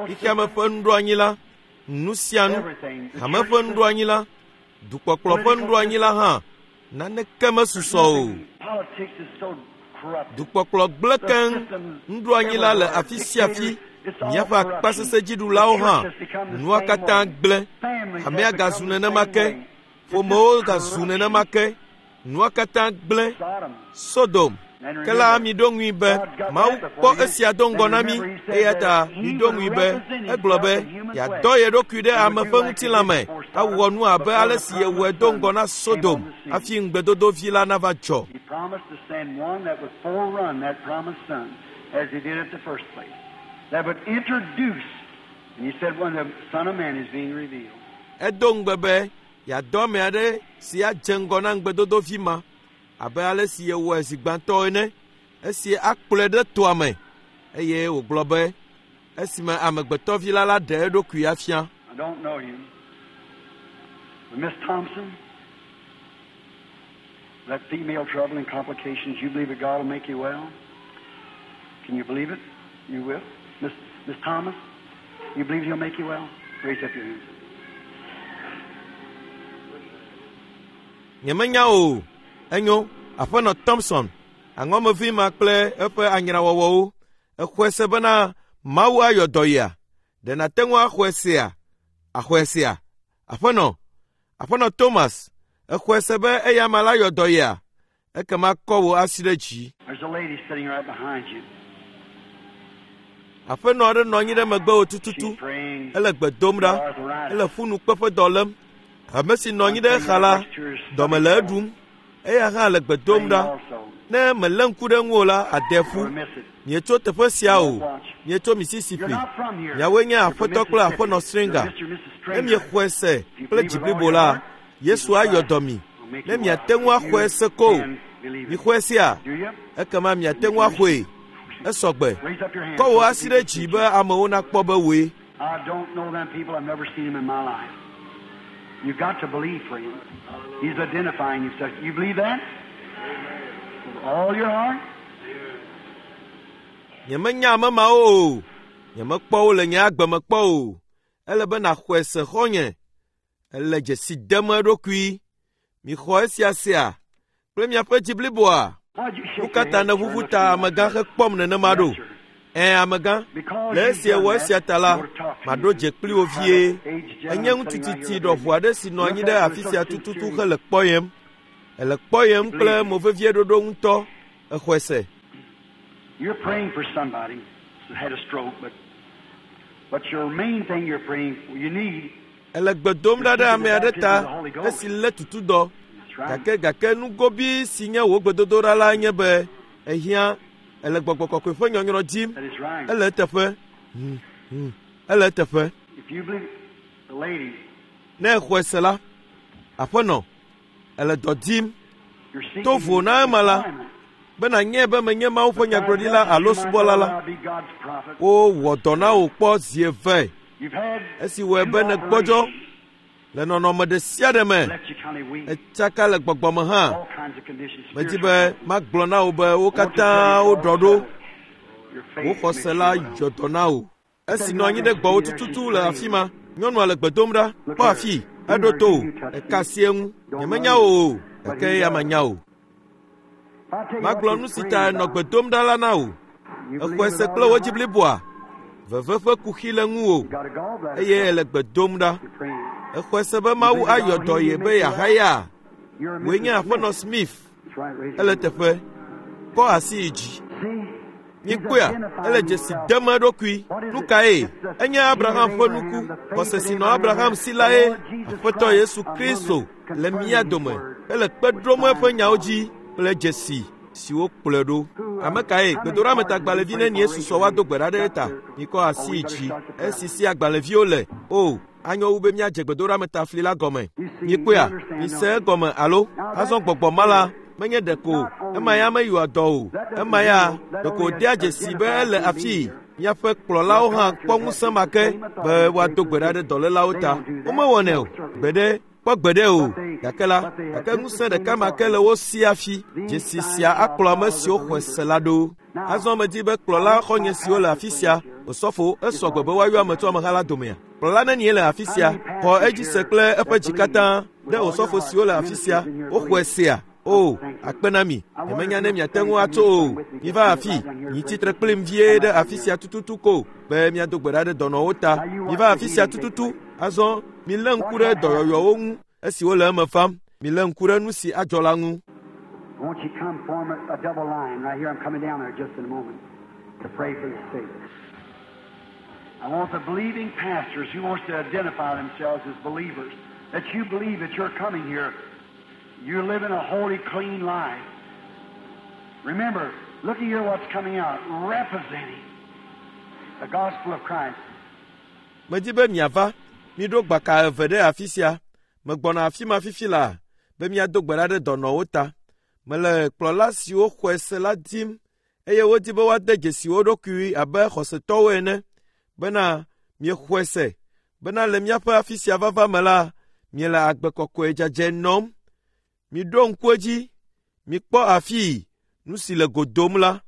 Xexeame ƒe nuɖoanyi la, nu sia nu, hame ƒe nuɖoanyi la, dukpɔkplɔ ƒe nuɖoanyi la hã, naneke mesusɔ o. Dukpɔkplɔ gblẽ keŋ, nuɖoanyi la le afi sia afi, míaƒe akpasesẽdziɖulawo hã, nua katã gblẽ. Hamea gazu nenema ke, ƒomewo gazu nenema ke, nua katã gblẽ. Sodom. Ke la miɖo ŋui be Mawu kpɔ esia do ŋgɔ na mí eya ta miɖo ŋui be egblɔ be yeadɔ ye ɖokui ɖe ame ƒe ŋutilã me awɔ nu abe ale si yewɔe do ŋgɔ na Sodom hafi ŋugbedodovi la nava dzɔ. He promised to send one that would forerun that promised son, as he did at the first place, that would introduce, and he said, when the Son of Man is being revealed. Edo ŋugbe be yeadɔ ame aɖe si adze ŋgɔ na ŋugbedodovi ma abe ale si yewɔe zi gbãtɔ ene, esi akplɔe ɖe toa me eye wògblɔ be esime amegbetɔvi la la ɖe eɖokui afia. I don't know you. But Miss Thompson, that female trouble and complications, you believe that God will make you well? Can you believe it? You will. Miss, Miss Thomas, you believe He'll make you well? Raise up your hands. Nyemenya o. Enyo, aƒenɔ Thompson, aŋɔmevi ma kple eƒe anyrawɔwɔwo, exɔe se bena Mawu ayɔ dɔ yia? Ɖe nàte ŋu axɔe sea? Axɔe sea? Aƒenɔ, aƒenɔ Thomas, exɔe se be eya ama la yɔ dɔ yia? Ekema kɔ wò asi ɖe dzi. There's a lady sitting right behind you. Aƒenɔ aɖe nɔ anyi ɖe megbewò tututu. She's praying. Ele gbe dom ɖa. Ele ƒunukpeƒe dɔ lém. Ame si nɔ anyi ɖe exa la, dɔme le eɖum. Eya hã le gbe dom ɖa. Ne mèlé ŋku ɖe ŋuwò la, àde ƒu. Mietso teƒe sia o. Mietso Mississippi. Miawoe nye aƒetɔ kple aƒenɔ Stringer. Ne miexɔe se kple dzi blibo la, Yesu ayɔ dɔ mi. Ne miate ŋu axɔe se ko o. Mixɔe sea? Ekema miate ŋu axɔe. Esɔ gbe. Kɔ wò asi ɖe dzi be amewo nakpɔ be wòe. I don't know them people. I've never seen them in my life. You've got to believe, friend. He's identifying himself. You believe that? With all your heart? Nyemenya ame mawo o. Nyemekpɔ wo le nye agbe me kpɔ o. Ele be nàxɔe se xɔ̃nye. Ele dzesi dem eɖokui. Mixɔ esia sea kple miaƒe dzi bliboa. Nu ka ta nèʋuʋu ta amegã hekpɔm nenema ɖo? Ẽ, amegã, le esi èwɔ esia ta la, maɖo dze kpli wò vie. Ènye ŋutsu tsitsi ɖɔʋu aɖe si nɔ anyi ɖe afi sia tututu hele kpɔyem. Èle kpɔyem kple movevieɖoɖo ŋutɔ. Èxɔe se. You're praying for somebody who had a stroke, but but your main thing you're praying for, you need. Èle gbe dom ɖa ɖe ame aɖe ta esi lé tutudɔ. Gake gake nugobi si nye wò gbedodoɖa la nye be èhiã èle gbɔgbɔ kɔkɔe ƒe nyɔnyrɔ dim. That is right. Ele eteƒe. Ele eteƒe. If you believe, the lady, Ne èxɔe se la, aƒenɔ, èle dɔ dim you're seeking To vo na ema la, employment. be nànyae be menye Mawu ƒe nyagblɔɖila alo subɔla la. I'll be God's prophet. Wowɔ dɔ na wò kpɔ zi eve You've had esi wɔe be nègbɔdzɔ le nɔnɔme ɖe sia ɖe me. left you kind of weak. Etsaka le gbɔgbɔ me hã. All kinds of conditions. Medi be magblɔ na wò be wo katã woɖɔ ɖo. Your faith Wò makes xɔse you la well. yɔ dɔ na wò. Esi nɔ anyi ɖe gbɔwò tututu le afi ma, nyɔnua le gbe dom ɖa. Kpɔ afii, eɖo to wò. Eka asi eŋu. Nyemenya wò o, gake eya menya wò. If I tell you what Magblɔ you're nu si praying ta nɔ about, gbe dom ɖa la na wò. you believe Èxɔe with se all kple your wò dzi heart? bliboa. Veve ƒe kuxi le ŋuwò You got a gallbladder. eye èle gbe dom ɖa. You're praying. Èxɔe se be Mawu ayɔ dɔ ye be yeahaya. You're a Wòe nye Mrs. aƒenɔ Smith. Smith. That's right. Raise your Ele hand. teƒe. Kɔ asi yi dzi. See? He's Mikpɔea, identifying ele dzesi himself. dem eɖokui. Nu kae? Enye Abraham ƒe nuku. Xɔse si nɔ Abraham si lae Aƒetɔ Yesu Kristo le mía dome. Ele kpe ɖom eƒe nyawo dzi kple dzesi siwo kplɔe ɖo. Ame kae? Gbedoɖametagbalẽvi nenie susɔ woado gbe ɖa ɖe eta? Mikɔ asi yi dzi. Esi si agbalẽviwo le. O, anyo wu be míadze gbedoɖametafli la gɔme. Mikpɔea, mise egɔme alo azɔ gbɔgbɔ ma la menye ɖeko ema ya meyɔa dɔ o. Ema ya ɖeko wòdea dzesi be ele afii. Míaƒe kplɔlawo hã kpɔ ŋusẽ ma ke be woado gbe ɖa ɖe dɔlélawo ta. Womewɔnɛ o. Gbeɖe, kpɔ gbeɖe o. Gake la, gake ŋusẽ ɖeka ma ke le wo si hafi. Dzesi sia akplɔ ame siwo xɔe se la ɖo. Azɔ medi be kplɔla xɔ̃nye siwo le afi sia, osɔfo, esɔ gbe be woayɔ ame tso ameha la domea. Kplɔla nenie le afi sia, xɔ edzi se kple eƒe dzi katã ɖe osɔfo siwo le afi sia, woxɔe sea. O, akpe na mi. Nyemenya ne miate ŋu atso o. Miva afi, mitsi tre kplim vie ɖe afi sia tututu ko be míado gbe ɖa ɖe dɔnɔwo ta. Miva afi sia tututu. Azɔ milé ŋku ɖe dɔyɔyɔwo ŋu esi wole eme fam. Milé ŋku ɖe nu si adzɔ la ŋu. Won't you come form a double line right here? I'm coming down there just in a moment to pray for the sick. I want the believing pastors who wants to identify themselves as believers, that you believe that you're coming here, you're living a holy, clean life. Remember, look at here what's coming out, representing the gospel of Christ. Medi be miava, miɖo gbaka eve ɖe afi sia. Megbɔna afi ma fifi laa be míado gbe ɖa ɖe dɔnɔwo ta. Mele kplɔla siwo xɔe se la dim eye wodi be woade dzesi wo ɖokui abe xɔsetɔwo ene bena miexɔe se bena le míaƒe afi sia vava me la, miele agbe kɔkɔe dzadzɛ nɔm. Miɖo ŋku edzi, mikpɔ afii nu si le go dom la,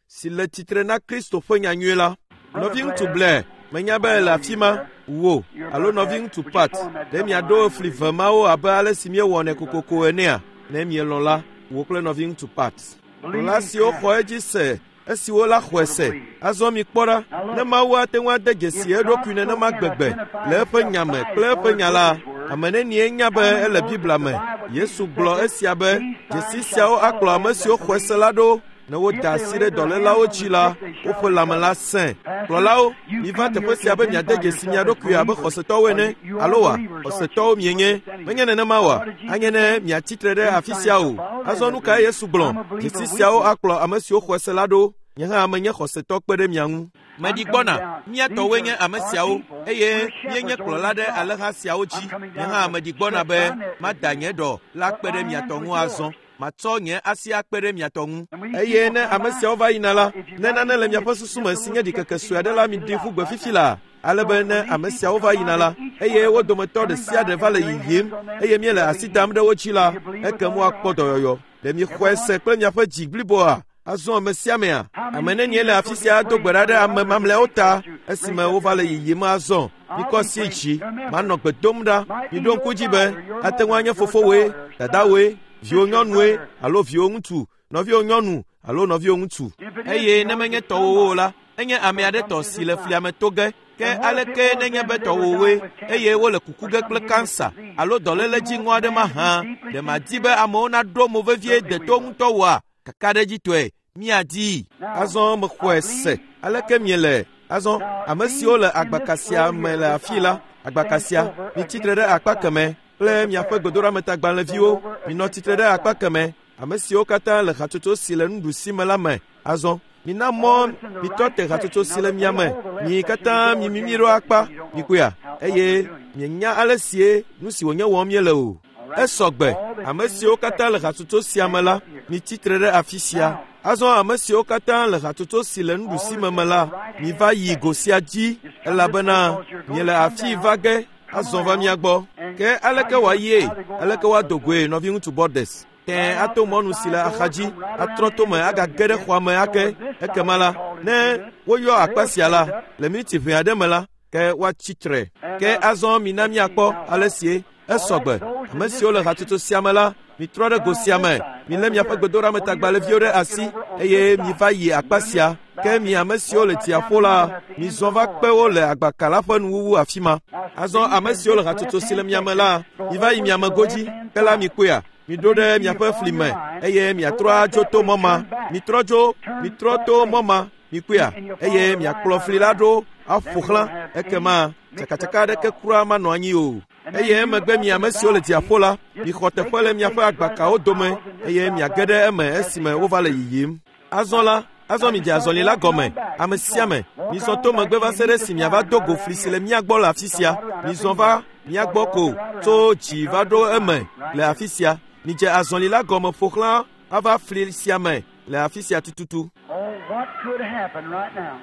si le tsitre na Kristo ƒe nyanyui la. Nɔviŋutsu Blair, menya be ele afi ma, wò alo nɔviŋutsu Pat, ɖe miaɖo fli ve mawo abe ale si míewɔnɛ kokoko enea? Ne mielɔ̃ la, wò kple nɔviŋutsu Pat. Kplɔla siwo xɔ edzi se esiwo la xɔe se. Azɔ mikpɔ ɖa, ne Mawu ate ŋu ade dzesi eɖokui nenema gbegbe le eƒe nya me kple eƒe nya la, ame nenie nya be ele Biblia me. Yesu gblɔ esia be dzesi siawo akplɔ ame siwo xɔe se la ɖo. Ne woda asi ɖe dɔlélawo dzi la, woƒe lãme la sẽ. Kplɔlawo, miva teƒe sia be miade dzesi mia ɖokui abe xɔsetɔwo ene, alo wa, xɔsetɔwo mienye. Menye nenema oa? Anye ne miatsi tre ɖe afi sia o. Azɔ nu kae Yesu gblɔ? Dzesi siawo akplɔ ame siwo xɔe se la ɖo. Nye hã menye xɔsetɔ kpe ɖe mia ŋu. Meɖi gbɔna, mía tɔwoe nye ame siawo, eye míenye kplɔla ɖe alẽha siawo dzi. Nye hã meɖi gbɔna be mada nye ɖɔ la kpe ɖe mia tɔ ŋu azɔ. Matsɔ nye asi akpe ɖe mia tɔ ŋu. Eye ne ame siawo va yina la, ne nane le miaƒe susu me si nye ɖikeke sue aɖe la, miɖi ƒu gbe fifi laa, ale be ne ame siawo va yina la, eye wo dometɔ ɖe sia ɖe va le yiyim, eye míele asi dam ɖe wo dzi la, ekem woakpɔ dɔyɔyɔ. Ɖe miexɔe se kple miaƒe dzi bliboa? Azɔ ame sia amea, ame nenie le afi sia ado gbe ɖa ɖe ame mamlɛawo ta esime wova le yiyim azɔ? Mikɔ asi dzi, manɔ gbe dom ɖa. Miɖo ŋku dzi be ate ŋu anye fofowoe, dadawoe, viwò nyɔnue alo viwò ŋutsu, nɔviwò nyɔnu alo nɔviwò ŋutsu. Eye ne menye tɔwòwo o la, enye ame aɖe tɔ si le flia me to ge. Ke aleke nenye be tɔwòwoe eye wole kuku ge kple kansa alo dɔléle dziŋɔ aɖe mahã? Ɖe màdi be amewo naɖo mo vevie deto ŋutɔ oa? Kakaɖedzitɔe, míadii. Azɔ mexɔe se. Aleke miele? Azɔ, ame siwo le agbaka sia me le afii la, agbaka sia, mitsi tre ɖe akpa kemɛ kple miaƒe gbedoɖametagbalẽviwo. Minɔ tsitre ɖe akpa kemɛ, ame siwo katã le hatsotso si le nuɖusi me la me. Azɔ, mina mɔ mitrɔ te hatsotso si le mia me. Mi katã mimimi ɖo akpa, mikpɔea, eye mienya ale sie nu si wònye wɔm míele o. Esɔ gbe, ame siwo katã le hatsotso sia me la, mitsi tre ɖe afi sia. Azɔ ame siwo katã le hatsotso si le nuɖusi me me la, miva yi go sia dzi, elabena miele afii va ge azɔ va mía gbɔ. Ke aleke wòayie? Aleke woado goe, nɔviŋutsu Bordes? Tẽe ato mɔnu si le axadzi, atrɔ tome agage ɖe xɔa me ake. Ekema la, ne woyɔ akpa sia la, le miniti ʋɛ aɖe me la, ke woatsi tre. Ke azɔ mina míakpɔ ale sie esɔ gbe. Ame siwo le hatsotso sia me la, mitrɔ ɖe go sia me, milé miaƒe gbedoɖametagbalẽviwo ɖe asi, eye miva yi akpa sia. Ke mi ame siwo le dziaƒo la, mizɔ va kpe wo le agbaka la ƒe nuwuwu afi ma. Azɔ ame siwo le hatsotso si le mia me la, miva yi mia me godzi, ke la mikpɔea, miɖo ɖe miaƒe fli me, eye miatrɔ adzo to mɔ ma. Mitrɔ dzo, mitrɔ to mɔ ma, mikpɔea, eye miakplɔ fli la ɖo aƒo xlã, ekema tsakatsaka aɖeke kura manɔ anyi o. Eye emegbe mi ame siwo le dziaƒo la, mixɔ teƒe le miaƒe agbakawo dome, eye miage ɖe eme esime wova le yiyim. Azɔ la, azɔ midze azɔli la gɔme, ame sia ame, mizɔ to megbe va se ɖe esi miava do go fli si le mía gbɔ le afi sia. Mizɔ va mía gbɔ ko tso dzi va ɖo eme le afi sia. Midze azɔli la gɔme ƒo xlã ava fli sia me le afi sia tututu. Oh, what could happen right now?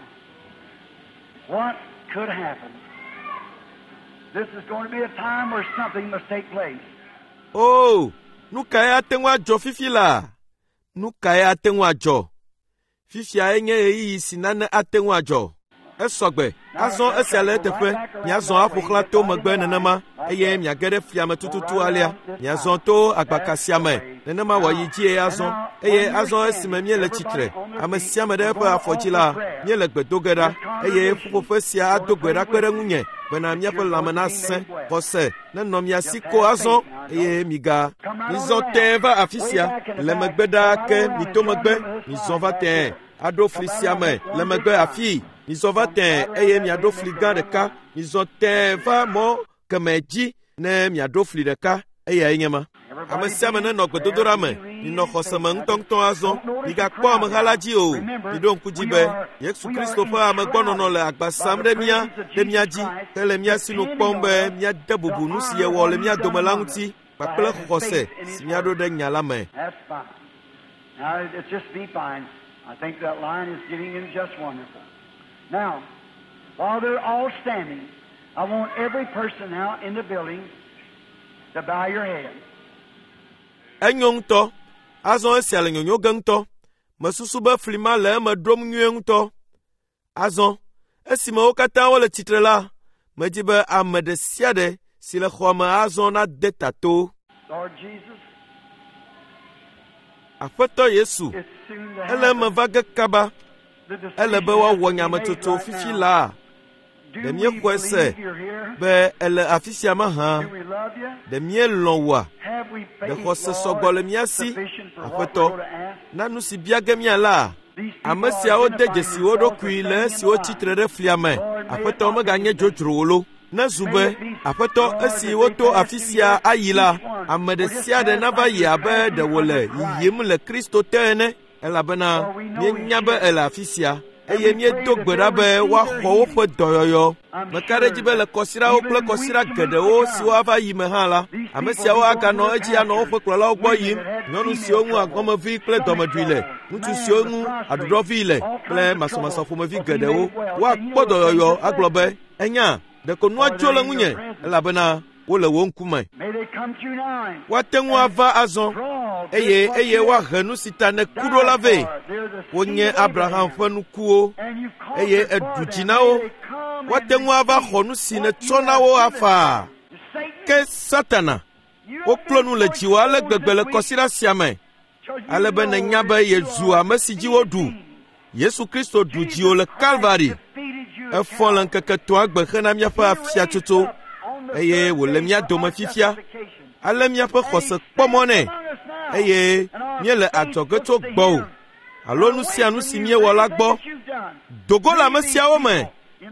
What could happen? This is going to be a time where something must take place. Oo, nu kae ate ŋu adzɔ fifi laa? Nu kae ate ŋu adzɔ? Fifiae nye ɣeyiɣi si nane ate ŋu adzɔ. Esɔ gbe. Azɔ esia le eteƒe. Miazɔ aƒo xlã to megbe nenema, eye miage ɖe flia me tututu alea. Miazɔ to agbaka sia me. Nenema wòayi dzie azɔ. Eye azɔ esime míele tsitre, ame sia ame ɖe eƒe afɔ dzi la, míele gbe do ge ɖa. Eye ƒuƒoƒe sia ado gbe ɖa kpe ɖe ŋunye bena míaƒe lãme nasẽ. Xɔse nenɔ mia si ko azɔ, eye miga mizɔ tẽe va afi sia. Le megbe ɖaa ke mito megbe, mizɔ va tẽe aɖo fli sia me le megbe afii. Mizɔ va tẽe eye miaɖo fli gã ɖeka. Mizɔ tẽe va mɔ kemɛ dzi ne miaɖo fli ɖeka. Eyae nye ma. Ame sia ame nenɔ gbedodoɖa me. Minɔ xɔse me ŋutɔŋutɔ azɔ. Migakpɔ ameha la dzi o. Miɖo ŋku dzi be Yesu Kristo ƒe amegbɔnɔnɔ le agba sam ɖe mía ɖe mía dzi hele mía sinu kpɔm be míade bubu nu si yewɔ le mía dome la ŋuti kpakple xɔse si míaɖo ɖe nya la me. That's fine. Now, it's just be fine. I think that line is getting in just wonderful. Now, while they're all standing, I want every person now in the building to bow your head. Enyo ŋutɔ. Azɔ esia le nyonyo ge ŋutɔ. Mesusu be fli ma le eme ɖom nyuie ŋutɔ. Azɔ, esime wo katã wole tsitre la, medi be ame ɖe sia ɖe si le xɔa me azɔ nade ta to. Lord Jesus, Aƒetɔ Yesu, it's soon to ele eme happen. va ge kaba. The Ele decision be has woawɔ to be made nyametsotso right fifi now. laa Do Ɖe we míexɔe se believe you're here? be èle afi sia mahã. Do we love you? Ɖe míelɔ̃ wòa? Have we Ɖe faith, xɔse sɔgbɔ Lord, le mía si, sufficient for what Aƒetɔ, we're going to ask? Na nu si bia ge míala. Ame siawo de dzesi wo ɖokui le esiwo tsitre ɖe flia me. Aƒetɔ meganye dzodzro lo. Nezu be Aƒetɔ esi woto afi sia ayi la, ame ɖe sia ɖe nava yi abe ɖe wòle yiyim le Kristo te ene, elabena míenya be ele afi sia eye míedo gbe ɖa be woaxɔ woƒe dɔyɔyɔ. Meka ɖe edzi be le kɔsiɖawo kple kɔsiɖa geɖewo siwo ava yi me hã la, ame siawo aganɔ edzi anɔ woƒe kplɔlawo gbɔ yim, nyɔnu siwo ŋu agɔmevi kple dɔmeɖui le, ŋutsu siwo ŋu aɖuɖɔvi le kple masɔmasɔ ƒomevi geɖewo. Woakpɔ dɔyɔyɔ agblɔ be, enya, ɖeko nua tso le ŋunye elabena wole wo ŋkume. Woate ŋu ava azɔ eye woahe nu si ta nèku ɖo la vɛ. Wonye Abraham ƒe nukuwo eye eɖu dzi na wo. Woate ŋu ava xɔ nu si nètsɔ na wo afaa. Ke Satana, woklo nu le dziwò ale gbegbe le kɔsiɖa sia me, ale be nènya be yezu ame si dzi woɖu. Yesu Kristo ɖu dziwò le Kalvari. Efɔ le ŋkeke etɔ̃a gbe hena míaƒe afiatsotso eye wòle mía dome fifia. Ale míaƒe xɔse kpɔ mɔ nɛ eye míele adzɔge tso gbɔwò alo nu sia nu si míewɔ la gbɔ. Do go le ame siawo me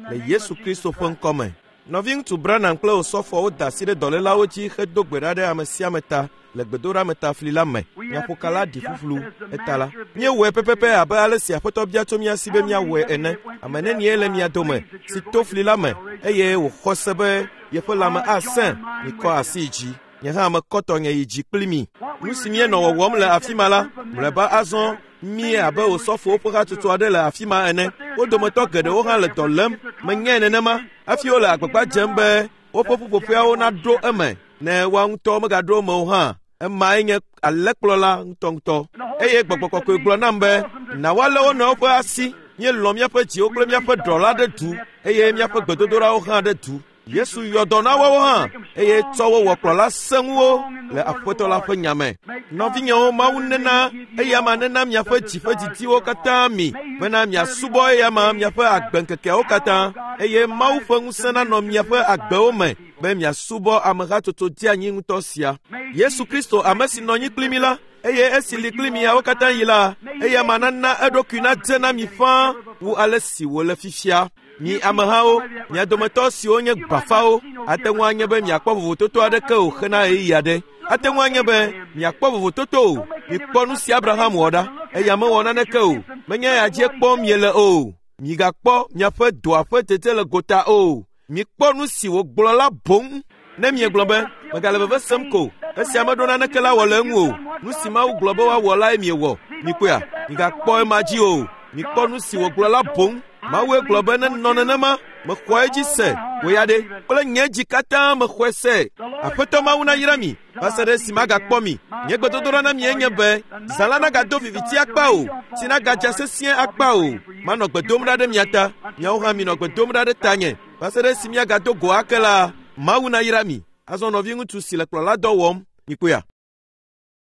le Yesu Kristo ƒe ŋkɔ me. Nɔviŋutsu Branham kple Osɔfoawo da asi ɖe dɔlélawo dzi hedo gbe ɖa ɖe ame sia ame ta le gbedoɖametafli la me. Nyaƒokala ɖi ƒuƒlu eta la. Míewɔe pɛpɛpɛ abe ale si Aƒetɔ bia tso mía si be míawɔe ene. Ame nenie le mia dome si to fli la me eye wòxɔ se be yeƒe lãme asẽ? Mikɔ asi yi dzi. Nye hã mekɔ tɔnye yi dzi kpli mi. Nu si míenɔ wɔwɔm le afi ma la, mlɔeba azɔ mí abe Osɔfowo ƒe hatsotso aɖe le afi ma ene. Wo dometɔ geɖewo hã le dɔ lém. Menyae nenema hafi wole agbagba dzem be woƒe ƒuƒoƒeawo naɖo eme ne woa ŋutɔ megaɖo eme o hã. Emae nye alẽkplɔla ŋutɔŋutɔ. Eye Gbɔgbɔ Kɔkɔe gblɔ nam be, na woalé wo nɔewo ƒe asi. Míelɔ̃ míaƒe dziwo kple míaƒe ɖɔ la ɖe du eye míaƒe gbedodoɖawo hã ɖe du. Yesu yɔ dɔ na woawo hã eye tsɔ wo wɔ kplɔla sẽŋuwo le Aƒetɔ la ƒe nya me. Nɔvinyewo, Mawu nena eyama nena miaƒe dzi ƒe didiwo katã mi bena miasubɔ eyama miaƒe agbeŋkekeawo katã eye Mawu ƒe ŋusẽ nanɔ miaƒe agbewo me be miasubɔ amehatsotso dzeanyi ŋutɔ sia. Yesu Kristo, ame si nɔ anyi kpli mi la, eye esi li kpli miawo katã yi la, eyama nana eɖokui nadze na mi ƒãa wu ale si wòle fifia. Mi amehawo, mia dometɔ siwo nye gbafawo, ate ŋu anye be miakpɔ vovototo aɖeke o hena ɣeyiɣi aɖe. Ate ŋu anye be miakpɔ vovototo o. Mikpɔ nu si Abraham wɔ ɖa. Eya mewɔ naneke o. Menye eya dzie kpɔm miele o. Migakpɔ miaƒe dɔa ƒe dzedze le gota o. Mikpɔ nu si wògblɔ la boŋ. Ne miegblɔ be, megale veve sem ko, esia meɖo naneke la wɔ le eŋu o. Nu si Mawu gblɔ be woawɔ lae miewɔ. Mikpɔea? Migakpɔ ema dzi o. Mikpɔ nu si wògblɔ la boŋ. Mawue gblɔ be nenɔ nenema, mexɔe dzi se. Wò ya ɖe, kple nye dzi katã mexɔe se. Aƒetɔ Mawu nayra mi va se ɖe esi magakpɔ mi. Nye gbedodoɖa na mie nye be, zã la nagado viviti akpa o, tsi nagadza sesĩe akpa o. Manɔ gbe dom ɖa ɖe mia ta, miawo hã minɔ gbe dom ɖa ɖe tanye. Va se ɖe esi míagado go ake la, Mawu nayra mi. Azɔ nɔviŋutsu si le kplɔladɔ wɔm, mikpɔea?